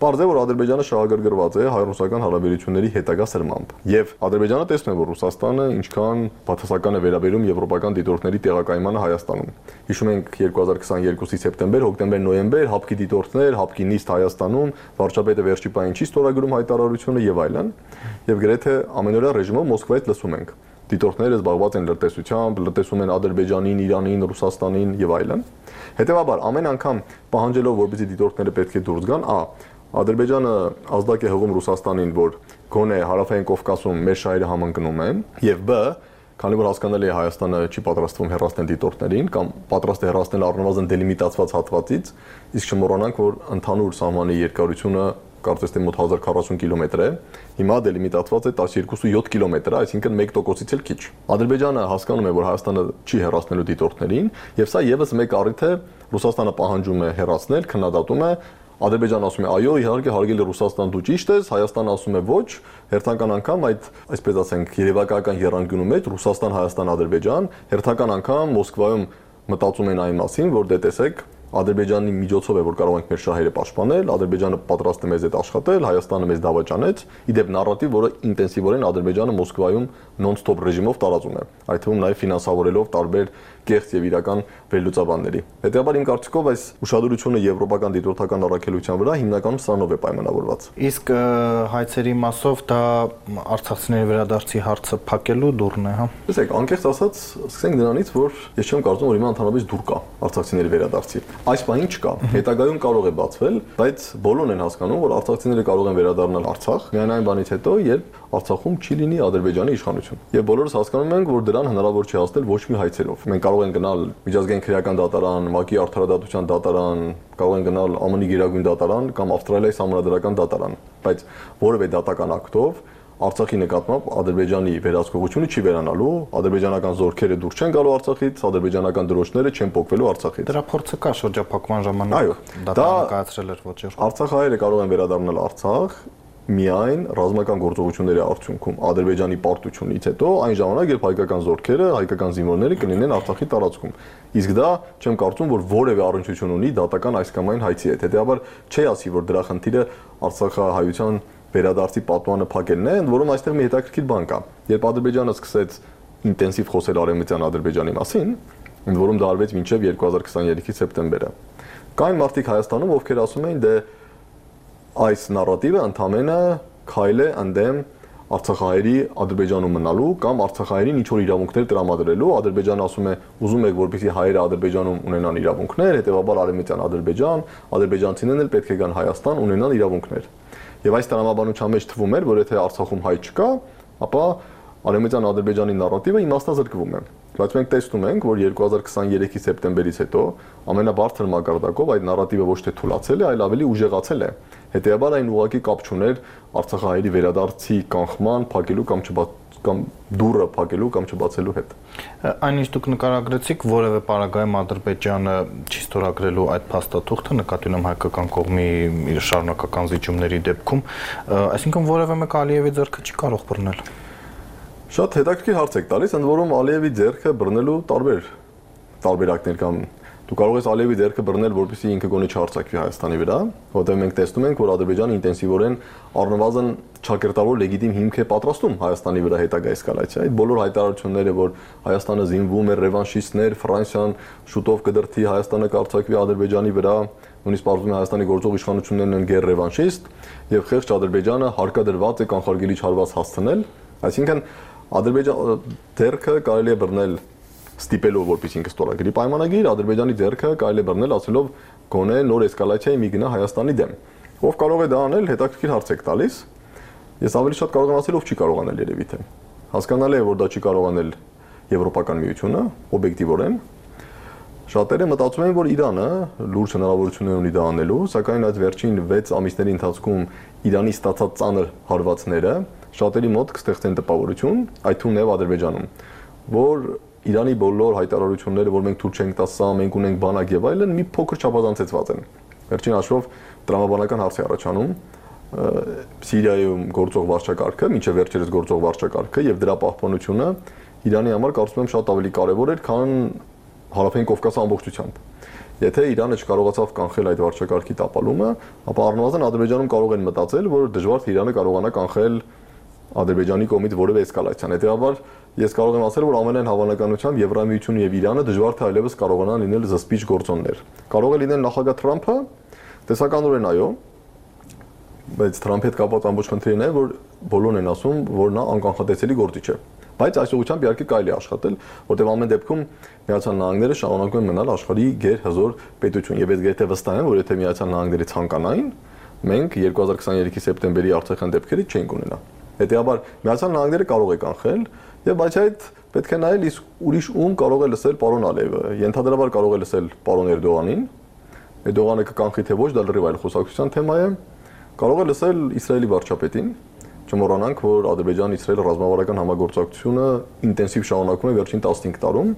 Պարզ է, որ Ադրբեջանը շահագրգռված է հայ-ռուսական հարաբերությունների հետագա սրմամբ։ Եվ Ադրբեջանը տեսնում է, որ Ռուսաստանը ինչքան բացասական է վերաբերում եվրոպական դիտորդների տեղակայմանը Հայաստանում։ Հիշում ենք 2022-ի սեպտեմբեր, հոկտեմբեր, նոյեմբեր հապկի դիտորդներ, հապկի նիստ Հայաստանում, վարչապետը վերջի պահին չի ստորագրում հայտարարությունը եւ այլն։ Եվ գրեթե ամենօրյա ռեժիմով Մոսկվայից լսում ենք։ Դիտորդները զբաղված են լրտեսությամբ, լրտեսում են Ադրբեջանին, Իրանին, Ռուսաստանին եւ այլն։ Հետեւաբար ամեն անգամ պահանջելով, որպեսզի դիտորդները պետք է դուրս գան, Ադրբեջանը ազդակ է հղում Ռուսաստանին, որ գոնե հարավային Կովկասում մեր շահերը համընկնում են, եւ բ. Քանի որ հասկանալի է Հայաստանը չի պատրաստվում հեռացնել դիտորդներին կամ պատրաստ է հեռացնել առնվազն դելիմիտացված հատվածից, իսկ չմոռանանք, որ ընդհանուր սահմանի երկարությունը կարծես թե մոտ 1040 կիլոմետր է, հիմա դելիմիտացված է 12.7 կիլոմետր, այսինքն 1%-ից էլ քիչ։ Ադրբեջանը հասկանում է, որ Հայաստանը չի հեռացնելու դիտորդներին, եւ սա եւս մեկ առիթ է, Ռուսաստանը պահանջում է հեռացնել, քննադատում է, Ադրբեջանը ասում է այո, իհարկե հարգելի Ռուսաստան դու ճիշտ ես, Հայաստանը ասում է ոչ, հերթական անգամ այդ, այսպես ասենք, երևակայական եռանկյունու մեջ Ռուսաստան, Հայաստան, Ադրբեջան, հերթական անգամ Մոսկվայում մտածում են այն մասին, որ դե տեսեք Ադրբեջանի միջոցով է որ կարող ենք մեր շահերը պաշտպանել, Ադրբեջանը պատրաստ է մեզ հետ աշխատել, Հայաստանը մեզ դավաճանեց, իդեպ նարատիվ, որը ինտենսիվորեն Ադրբեջանը Մոսկվայում նոն-ստոպ ռեժիմով տարածում է, այդ թվում նաև ֆինանսավորելով տարբեր կեղծ եւ իրական վերլուծաբանների։ Հետեւաբար իմ կարծիքով այս ուշադրությունը եվրոպական դիտորդական առաքելության վրա հիմնականում սրանով է պայմանավորված։ Իսկ հայցերի մասով դա արցախցիների վերադարձի հարցը փակելու դուռն է, հա։ Տեսեք, անկեղծ ասած, սկսենք դրանից, որ ես չեմ կարծում, որ հիմա ընդհանրապես դուռ կա արցախցիների վերադարձի։ Այս բանին չկա։ Հետագայում կարող է բացվել, բայց բոլորն են հասկանում, որ արցախցիները կարող են վերադառնալ Արցախ, միայն այն բանից հետո, երբ Արցախում չի լինի Ադրբեջանի իշխանություն։ Եվ բոլորս հասկանում ենք, որ դրան հնարավոր չի հասնել ոչ մի հայցերով։ Մենք կարող ենք գնալ միջազգային քրեական դատարան, ՄԱԿ-ի արդարադատության դատարան, կարող են գնալ ԱՄՆ-ի գերագույն դատարան կամ Ավստրալիայի սահմանադրական դատարան, բայց որևէ դատական ակտով Արցախի նկատմամբ Ադրբեջանի վերահսկողությունը չի վերանալու, ադրբեջանական զորքերը դուրս չեն գալու Արցախից, ադրբեջանական դրոշները չեն փոխվելու Արցախից։ Դրա փորձը կա շրջափակման ժամանակ։ Այո, դա կայացրել էր ոչինչ։ Արցախահայերը կարող են վերադառնալ Արցախ, միայն ռազմական գործողությունների արդյունքում Ադրբեջանի պարտությունից հետո այն ժամանակ, երբ հայկական զորքերը, հայկական զինվորները կլինեն Արցախի տարածքում։ Իսկ դա չեմ կարծում, որ որևէ առնչություն ունի դատական այս կամ այն հայցի հետ։ Հետեւաբար չի ասի, որ դրա խնդիրը Արցախահայության վերադարձի պատմանը փակելն է, ընդ որում այստեղ մի հետաքրքիր բան կա։ Երբ Ադրբեջանը սկսեց ինտենսիվ խոսել Արևմտյան Ադրբեջանի մասին, ընդ որում դա արվեց մինչև 2023-ի սեպտեմբերը, կային մարդիկ Հայաստանում, ովքեր ասում էին, դե այս նարատիվը ընդամենը քայլ է ընդդեմ Արցախահայերի Ադրբեջանում մնալու կամ Արցախահայերին ինչ-որ իրավունքներ տրամադրելու։ Ադրբեջանը ասում է, ուզում եք, որպեսզի հայերը Ադրբեջանում ունենան իրավունքներ, հետեւաբար Արևմտյան Ադրբեջան, ադրբեջանցիներն էլ պետք է գան Հայաստան ունենան իրավունքներ։ Եվ այս տրամաբանության մեջ թվում էր, որ եթե Արցախում հայ չկա, ապա Արևմտյան Ադրբեջանի նարատիվը իմաստազրկվում է։ Բայց մենք տեսնում ենք, որ 2023-ի սեպտեմբերից հետո ամենաբարձր մակարդակով այդ նարատիվը ոչ թե թուլացել է, այլ ավելի ուժեղացել է։ Հետեւաբար այն ուղղակի կապ չուներ Արցախահայերի վերադարձի կանխման, փակելու կամ դուռը փակելու կամ չբացելու հետ։ Այնինչ դուք նկարագրեցիք, որևէ պարագայում Ադրբեջանը չի ստորագրելու այդ փաստաթուղթը, նկատի ունեմ հայկական կողմի իր շարունակական զիջումների դեպքում, այսինքն որևէ մեկ Ալիևի ձեռքը չի կարող բռնել։ Շատ հետաքրքիր հարց եք տալիս, ընդ որում Ալիևի ձեռքը բռնելու տարբերակներ կամ դու կարող ես Ալիևի ձեռքը բռնել, որպեսզի ինքը գոնե չհարձակվի Հայաստանի վրա, որտեղ մենք տեսնում ենք, որ Ադրբեջանը ինտենսիվորեն առնվազն ճակերտավոր լեգիտիմ հիմք է պատրաստում Հայաստանի վրա հետագա էսկալացիա։ Այդ բոլոր հայտարարությունները, որ Հայաստանը զինվում է, ռևանշիստներ, Ֆրանսիան շուտով կդրթի Հայաստանը կարձակվի Ադրբեջանի վրա, նույնիսկ պարզվում է Հայաստանի գործող իշխանություններն են գեր ռևանշիստ, եւ խեղճ Ադրբեջանը հարկադրված է կանխարգելիչ հարված հասցնել, այսինքն Ադրբեջանի ձեռքը կարելի է բռնել ստիպելով, որպես ինքը ստորագրի պայմանագիր, Ադրբեջանի ձեռքը կարելի է բռնել ասելով գոնե նոր էսկալացիայի մի գնա Հայաստանի դեմ։ Ով կարող է դա անել, հետաքրքիր հարց եք տալիս։ Ես ավելի շատ կարող եմ ասել, ով չի կարող անել երևի թե։ Հասկանալի է, որ դա չի կարող անել Եվրոպական միությունը, օբյեկտիվորեն։ Շատերը մտածում են, որ Իրանը լուրջ հնարավորություններ ունի դա անելու, սակայն այդ վերջին 6 ամիսների ընթացքում Իրանի ստացած ծանր հարվածները շատերի մոտ կստեղծեն տպավորություն, այդ թվում նաև Ադրբեջանում, որ Իրանի բոլոր հայտարարությունները, որ մենք թույլ չենք տա սա, մենք ունենք բանակ եւ այլն, մի փոքր չափազանցեցված են։ Վերջին հաշվով տրամաբանական հարց է առաջանում Սիրիայում գործող վարչակարգը, մինչև վերջերս գործող վարչակարգը եւ դրա պահպանությունը Իրանի համար կարծում եմ շատ ավելի կարեւոր էր, քան Հարավային Կովկասի ամբողջությամբ։ Եթե Իրանը չկարողացավ կանխել այդ վարչակարգի տապալումը, ապա առնվազն Ադրբեջանում կարող են մտածել, որ դժվար թե Իրանը կարողանա կանխել Ադրբեջանի կողմից որևէ էսկալացիան։ Հետեւաբար ես կարող եմ ասել, որ ամենայն հավանականությամբ Եվրամիությունը եւ Իրանը դժվար թե այլևս կարողանան լինել զսպիչ գործոններ։ Կարող է լինել նախագահ Թրամփը, տեսականորեն այո, բայց Թրամփի հետ կապված ամբողջ խնդիրն է, որ բոլորն են ասում, որ նա անկանխատեսելի գործիչ է։ Բայց այս ուղղությամբ իհարկե կարելի է աշխատել, որտեղ ամեն դեպքում Միացյալ Նահանգները շարունակում են մնալ աշխարհի գերհզոր պետություն եւ ես գետե վստահ եմ, որ եթե Միացյալ Նահանգները ցանկանային, մենք 2023-ի սեպտեմբերի Արցախյան դեպքերից չենք ունենա։ Հետեւաբար Միացյալ Նահանգները կարող է կանխել եւ բայց այդ պետք է նայել իսկ ուրիշ ում կարող է լսել պարոն Ալիևը։ Ենթադրաբար կարող է լսել պարոն Էրդողանին։ Էրդողանը կկանխի թե ոչ, դա լրիվ այլ խոսակցության թեմա է։ Կարող է լսել Իսրայելի վարչապետին։ Չմոռանանք, որ Ադրբեջան-Իսրայել ռազմավարական համագործակցությունը ինտենսիվ շարունակվում է վերջին 15 տարում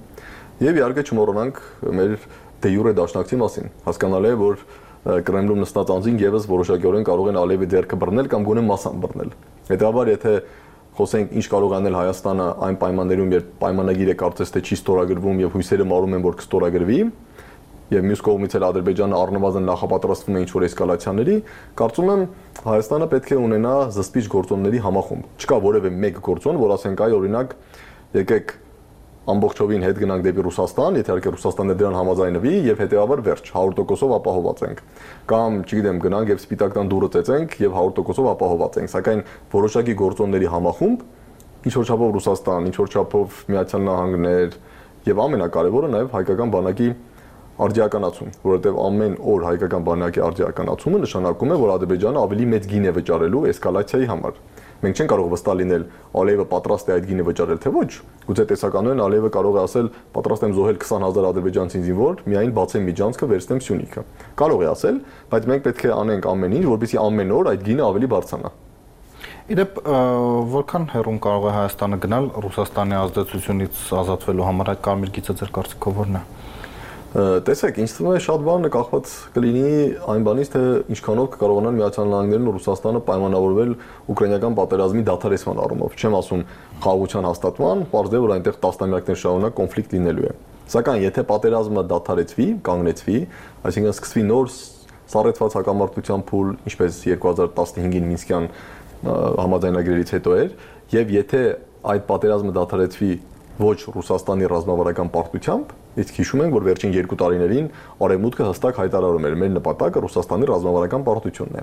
եւ իհարկե չմոռանանք մեր դե յուրե դաշնակցի մասին։ Հասկանալի է, որ Կրեմլում նստած անձին եւս որոշակիորեն կարող են Ալիևի ձեռքը բռնել կամ գոնե մասամբ բռնել։ Հետեւաբար եթե խոսենք ինչ կարող անել Հայաստանը այն պայմաններում, երբ պայմանագիրը կարծես թե չի ստորագրվում եւ հույսերը մարում են, որ կստորագրվի, եւ մյուս կողմից էլ Ադրբեջանը առնվազն նախապատրաստվում է ինչ-որ էսկալացիաների, կարծում եմ Հայաստանը պետք է ունենա զսպիչ գործոնների համախումբ։ Չկա որևէ մեկ գործոն, որ ասենք այ օրինակ եկեք ամբողջովին հետ գնանք դեպի Ռուսաստան, եթե իհարկե Ռուսաստանը դրան համաձայնվի եւ հետեւաբար վերջ 100%-ով ապահովված ենք։ Կամ, չգիտեմ, գնանք եւ սպիտակտան դուրը ծեծենք եւ 100%-ով ապահովված ենք, սակայն որոշակի գործոնների համախումբ ինչ որ չափով Ռուսաստան, ինչ որ չափով Միացյալ Նահանգներ եւ ամենակարևորը նաեւ հայկական բանակի արդիականացում, որովհետեւ ամեն օր հայկական բանակի արդիականացումը նշանակում է, որ Ադրբեջանը ավելի մեծ գին է վճարելու էսկալացիայի համար։ Մենք չենք կարող վստահ լինել Ալիևը պատրաստ է այդ գինը վճարել թե ոչ։ Գուցե տեսականորեն Ալիևը կարող է ասել պատրաստ եմ զոհել 20000 ադրբեջանցի զինվոր, միայն բացեմ միջանցքը, վերցնեմ Սյունիքը։ Կարող է ասել, բայց մենք պետք է անենք ամեն ինչ, որպեսզի ամեն օր այդ գինը ավելի բարձրանա։ Իդեպ որքան հեռուն կարող է Հայաստանը գնալ Ռուսաստանի ազդեցությունից ազատվելու համար այդ կարմիր գիծը ձեր կարծիքով ո՞րն է։ Տեսեք, ինձ թվում է շատ բան կախված կլինի այն բանից, թե ինչքանով կկարողանան Միացյալ Նահանգներն ու Ռուսաստանը պայմանավորվել ուկրաինական պատերազմի դադարեցման առումով։ Չեմ ասում խաղաղության հաստատման, պարզ է, որ այնտեղ տասնամյակներ շարունակ կոնֆլիկտ լինելու է։ Սակայն եթե պատերազմը դադարեցվի, կանգնեցվի, այսինքն սկսվի նոր սառեցված հակամարտության փուլ, ինչպես 2015-ին Մինսկյան համաձայնագրերից հետո էր, եւ եթե այդ պատերազմը դադարեցվի ոչ Ռուսաստանի ռազմավարական պարտությամբ, իսկ հիշում ենք, որ վերջին 2 տարիներին Արևմուտքը հստակ հայտարարում էր, մեր նպատակը Ռուսաստանի ռազմավարական պարտությունն է։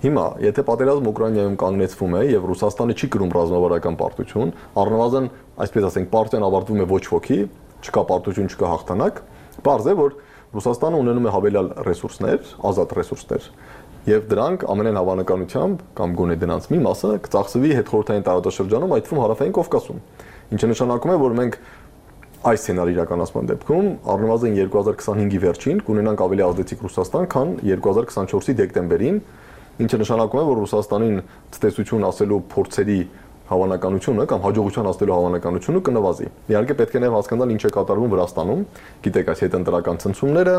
Հիմա, եթե պատերազմը Ուկրաինայում կանգնեցվում է եւ Ռուսաստանը չի կրում ռազմավարական պարտություն, առնվազն, այսպես ասենք, պարտիան ավարտվում է ոչ ոքի, չկա պարտություն, չկա հաղթանակ, բարձ է, որ Ռուսաստանը ունենում է հավելյալ ռեսուրսներ, ազատ ռեսուրսներ, եւ դրանք ամենայն հավանականությամբ կամ գոնե դրանց մի մասը կծախսվի հետխորհրդային տարածաշրջանում, այդ թվում Հարավային Կովկասում, ինչը նշանակում է, որ մենք այս սցենարի իրականացման դեպքում առնվազն 2025-ի վերջին կունենանք ավելի ազդեցիկ Ռուսաստան, քան 2024-ի դեկտեմբերին, ինչը նշանակում է, որ Ռուսաստանին ցտեսություն ասելու փորձերի հավանականությունը կամ հաջողության հասնելու հավանականությունը կնվազի։ Իհարկե պետք է նաև հասկանալ ինչ է կատարվում Վրաստանում, գիտեք, այս հետընտրական ցնցումները,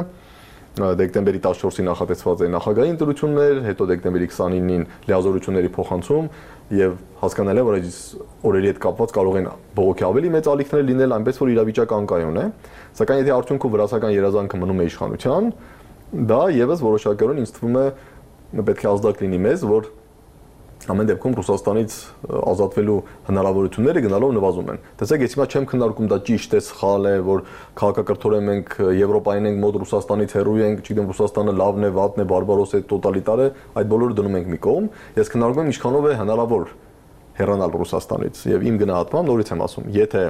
դեկտեմբերի 14-ին նախատեսված է նախագահի ընտրություններ, հետո դեկտեմբերի 29-ին լիազորությունների փոխանցում եւ հասկանալի է, որ այս օրերի հետ կապված կարող են բողոքի ավելի մեծ ալիքներ լինել, այնպես որ իրավիճակը անկայուն է, սակայն եթե արդյունքում վրացական երազանքը մնում է իշխանության, դա եւս որոշակիորեն ինձ թվում է պետք է ազդակ լինի մեզ, որ ամեն դեպքում Ռուսաստանից ազատվելու հնարավորությունները գնալով նվազում են։ Տեսեք, ես հիմա չեմ քննարկում դա ճիշտ է, սխալ է, որ քաղաքակրթորեն մենք Եվրոպային ենք, մոտ Ռուսաստանից հեռու ենք, չգիտեմ Ռուսաստանը լավն է, վատն է, բարբարոս է, տոտալիտար է, այդ բոլորը դնում ենք մի կողմ։ Ես քննարկում եմ ինչքանով է հնարավոր հեռանալ Ռուսաստանից եւ իմ գնահատմամբ նորից եմ ասում, եթե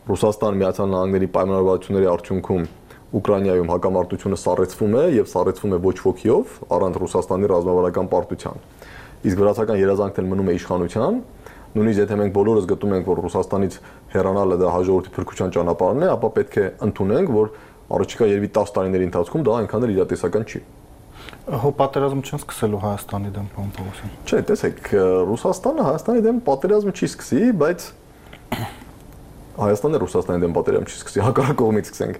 Ռուսաստան Միացյալ Նահանգների պայմանավորվածությունների արդյունքում Ուկրաինայում հակամարտությունը սառեցվում է եւ սառեցվում է ոչ ոքիով, առանց Ռուսաստանի ռազմավարական պարտության։ Իսկ վրացական երազանքն էլ մնում է իշխանության, նույնիսկ եթե մենք բոլորս գտնում ենք, որ Ռուսաստանից հեռանալը դա հաջողորդի փրկության ճանապարհն է, ապա պետք է ընդունենք, որ առաջիկա երևի 10 տարիների ընթացքում դա այնքան էլ իրատեսական չի։ Հո պատերազմ չեն սկսելու Հայաստանի դեմ, պարոն Պողոսյան։ Չէ, տեսեք, Ռուսաստանը Հայաստանի դեմ պատերազմ չի սկսի, բայց Հայաստանը Ռուսաստանի դեմ պատերազմ չի սկսի, հակառակ կողմից սկսենք։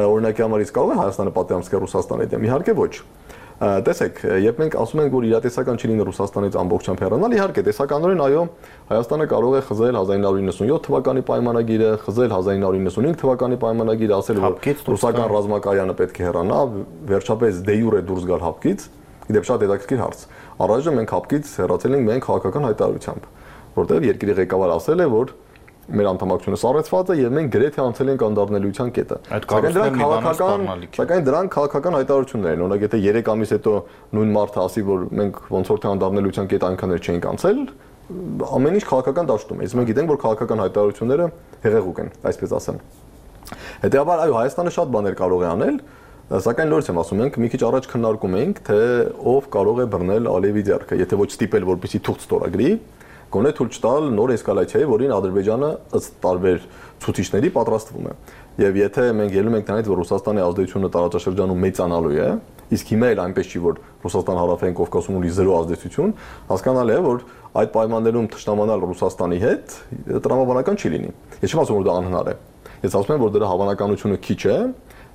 Օրինակի համար իսկ կարող է Հայաստանը պատերազմ սկսել Ռուսաստանի դեմ, իհարկե ոչ։ Տեսեք, երբ մենք ասում ենք, որ իրատեսական չի լինի Ռուսաստանից ամբողջությամբ հեռանալ, իհարկե տեսականորեն այո, Հայաստանը կարող է խզել 1997 թվականի պայմանագիրը, խզել 1995 թվականի պայմանագիրը, ասել որ ռուսական ռազմակայանը պետք է հեռանա, վերջապես դե յուրե դուրս գալ հապկից, իդեպ շատ հետաքրքիր հարց։ Առայժմ մենք հապկից հեռացել ենք միայն քաղաքական հայտարարությամբ, որտեղ երկրի ղեկավարը ասել է, որ մեր անդամակցությունը սառեցված է եւ մենք գրեթե անցել ենք անդառնելիության կետը։ Սակայն դրանք քաղաքական հայտարարություններ են։ Օրինակ, եթե 3 ամիս հետո նույն մարդը ասի, որ մենք ոնց որ թե անդառնելիության կետը այնքան էլ չենք անցել, ամեն ինչ քաղաքական դաշտում է։ Իսկ մենք գիտենք, որ քաղաքական հայտարարությունները հեղեղուկ են, այսպես ասեմ։ Հետեւաբար, այո, Հայաստանը շատ բաներ կարող է անել, սակայն նորից եմ ասում, մենք մի քիչ առաջ քննարկում էինք, թե ով կարող է բռնել Ալիևի ձեռքը, եթե ոչ ստիպել, որպեսզի թուղթ ստորագրի, գոնե թույլ չտալ նոր էսկալացիայի, որին Ադրբեջանը ըստ տարբեր ցուցիչների պատրաստվում է։ Եվ եթե մենք ելնում ենք նրանից, որ Ռուսաստանի ազդեցությունը տարածաշրջանում մեծանալու է, իսկ հիմա էլ այնպես չի, որ Ռուսաստան Հարավային Կովկասում ունի 0 ազդեցություն, հասկանալի է, որ այդ պայմաններում թշնամանալ Ռուսաստանի հետ տրամաբանական չի լինի։ Ես չեմ ասում, որ դա անհնար է։ Ես ասում եմ, որ դրա հավանականությունը քիչ է,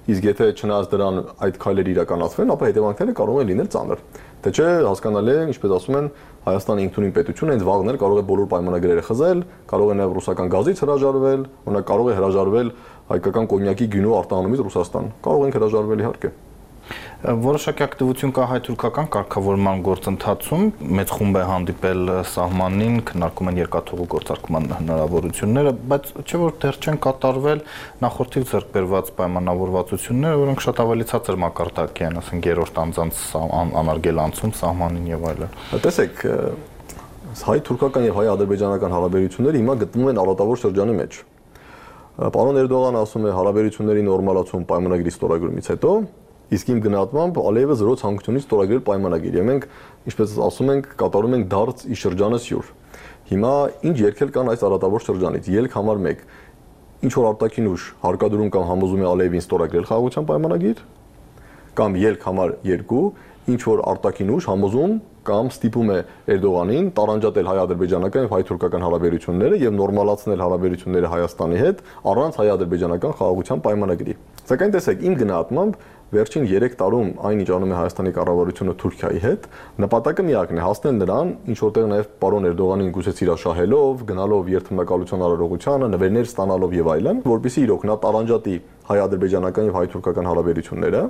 իսկ եթե չնայած դրան այդ քայլերը իրականացվեն, ապա հետևանքները կարող են լինել ծանր։ Թե չէ, հասկանալի է, ինչպես ասում են, Հայաստանի ինքնուրույն պետությունը հենց վաղն էլ կարող է բոլոր պայմանագրերը խզել, կարող է նաև ռուսական գազից հրաժարվել, օրինակ կարող է հրաժարվել հայկական կոնյակի գինու արտահանումից Ռուսաստան։ Կարող են հրաժարվել իհարկե։ Որոշակի ակտիվություն կա հայ-թուրքական կարգավորման գործընթացում, մեծ խումբ է հանդիպել սահմանին, քննարկում են երկաթուղու գործարկման հնարավորությունները, բայց չէ՞ որ դեռ չեն կատարվել նախորդից ձեռք բերված պայմանավորվածությունները, որոնք շատ ավելի ցածր մակարդակի են, ասենք երրորդ անձանց անարգել անցում սահմանին եւ այլն։ Տեսեք, հայ-թուրքական եւ հայ-ադրբեջանական հարաբերությունները հիմա գտնվում են արատավոր շրջանի մեջ։ Պարոն Էրդողանը ասում է հարաբերությունների նորմալացում պայմանագրի ստորագրումից հետո, իսկ իմ գնահատմամբ Ալիևը 0 ցանկությունից ստորագրել պայմանագիր։ Եվ մենք, ինչպես ասում ենք, կատարում ենք դարձ ի շրջանը սյուր։ Հիմա ինչ երկել կան այս արատավոր շրջանից։ Ելք համար 1, ինչ որ արտաքին ուժ հարկադրում կամ համոզում է Ալիևին ստորագրել խաղաղության պայմանագիր, կամ ելք համար 2, ինչ որ արտաքին ուժ համոզում կամ ստիպում է Էրդողանին տարանջատել հայ-ադրբեջանական եւ հայ-թուրքական հարաբերությունները եւ նորմալացնել հարաբերությունները Հայաստանի հետ առանց հայ-ադրբեջանական խաղաղության պայմանագրի։ Սակայն տեսեք, իմ գնահատմամբ վերջին 3 տարում այնինչ անում է Հայաստանի կառավարությունը Թուրքիայի հետ, նպատակը միակն է հասնել նրան, ինչ որտեղ նաև պարոն Էրդողանին գուցե սիրաշահելով, գնալով երթմնակալության արարողությանը, նվերներ ստանալով եւ այլն, որպեսզի իրոք նա տարանջատի հայ-ադրբեջանական եւ հայ-թուրքական հարաբերությունները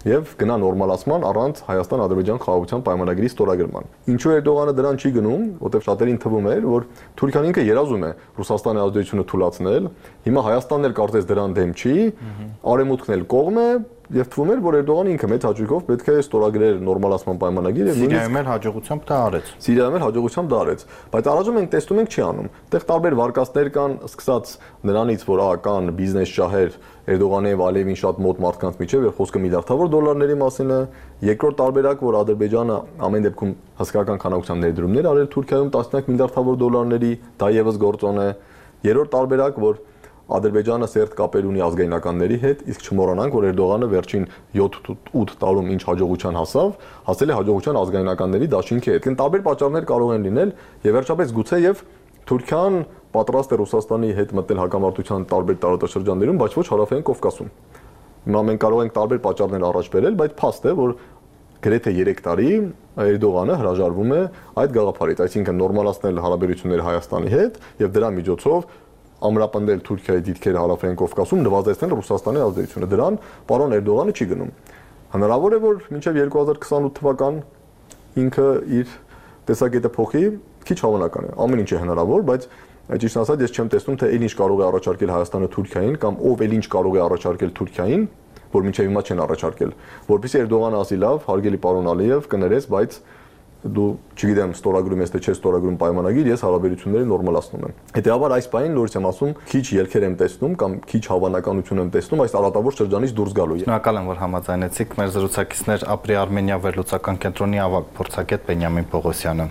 եւ գնա նորմալացման առանց Հայաստան-Ադրբեջան խաղաղության պայմանագրի ստորագրման։ Ինչու Էրդողանը դրան չի գնում, որտեղ շատերին թվում էր, որ Թուրքիան ինքը երազում է Ռուսաստանի ազդեցությունը թույլատրել, հիմա Հայաստանն էլ կարծես դրան դեմ չի, Արևմուտքն էլ կողմ է եւ թվում էր, որ Էրդողանը ինքը մեծ հաջողով պետք է ստորագրեր նորմալացման պայմանագիր եւ Սիրիայում էլ հաջողությամբ դա արեց։ Սիրիայում էլ հաջողությամբ դա արեց, բայց առայժմ մենք տեսնում ենք չի անում։ Այդտեղ տարբեր վարկածներ կան, սկսած նրանից, որ կան բիզնես շահեր Էրդողանի եւ Ալիևին շատ մոտ մարդկանց միջեւ, եւ խոսքը միլիարդավոր դոլարների մասին է։ Երկրորդ տարբերակ, որ Ադրբեջանը ամեն դեպքում հսկայական քանակությամբ ներդրումներ արել Թուրքիայում 10 միլիարդավոր դոլարների, դա եւս գործոն է։ Երրորդ տարբերակ, որ Ադրբեջանը սերտ կապեր ունի ազգայնականների հետ, իսկ չմոռանանք, որ Էրդողանը վերջին 7-8 տարում ինչ հաջողության հասել է հաջողության ազգայնականների դաշինքի հետ։ Կան տարբեր պատճառներ կարող են լինել, եւ վերջապես գուցե եւ Թուրքիան պատրաստ է Ռուսաստանի հետ մտնել հակամարտության տարբեր տարածաշրջաններում, բայց ոչ հարավային Կովկասում։ Հիմա մենք կարող ենք տարբեր պատճառներ առաջ բերել, բայց փաստ է, որ գրեթե 3 տարի Էրդողանը հրաժարվում է այդ գաղափարից, այսինքն նորմալացնել հարաբերությունները Հայաստանի հետ եւ դրա միջոցով ամրապնդել Թուրքիայի դիրքերը հարավային Կովկասում, նվազեցնել Ռուսաստանի ազդեցությունը։ Դրան պարոն Էրդողանը չի գնում։ Հնարավոր է, որ մինչև 2028 թվական ինքը իր տեսակետը փոխի, քիչ հավանական է։ Ամեն ինչ է հնարավոր, բայց ճիշտ ասած ես չեմ տեսնում, թե ինչ կարող է առաջարկել Հայաստանը Թուրքիային կամ ով ինչ կարող է առաջարկել Թուրքիային, որ մինչև հիմա չեն առաջարկել, որովհետեւ Էրդողանը ասի լավ, հարգելի պարոն Ալիև, կներես, բայց դու չգիտեմ ստորագրում ես թե չէ ստորագրում պայմանագիր, ես հարաբերությունները նորմալացնում եմ։ Հետեւաբար այս բանին նորից եմ ասում, քիչ ելքեր եմ տեսնում կամ քիչ հավանականություն եմ տեսնում այս արատավոր շրջանից դուրս գալու։ Շնորհակալ եմ, որ համաձայնեցիք։ Մեր զրուցակիցներ Ապրի Արմենիա վերլուծական կենտրոնի ավագ փորձագետ Բենյամին Պողոսյանը։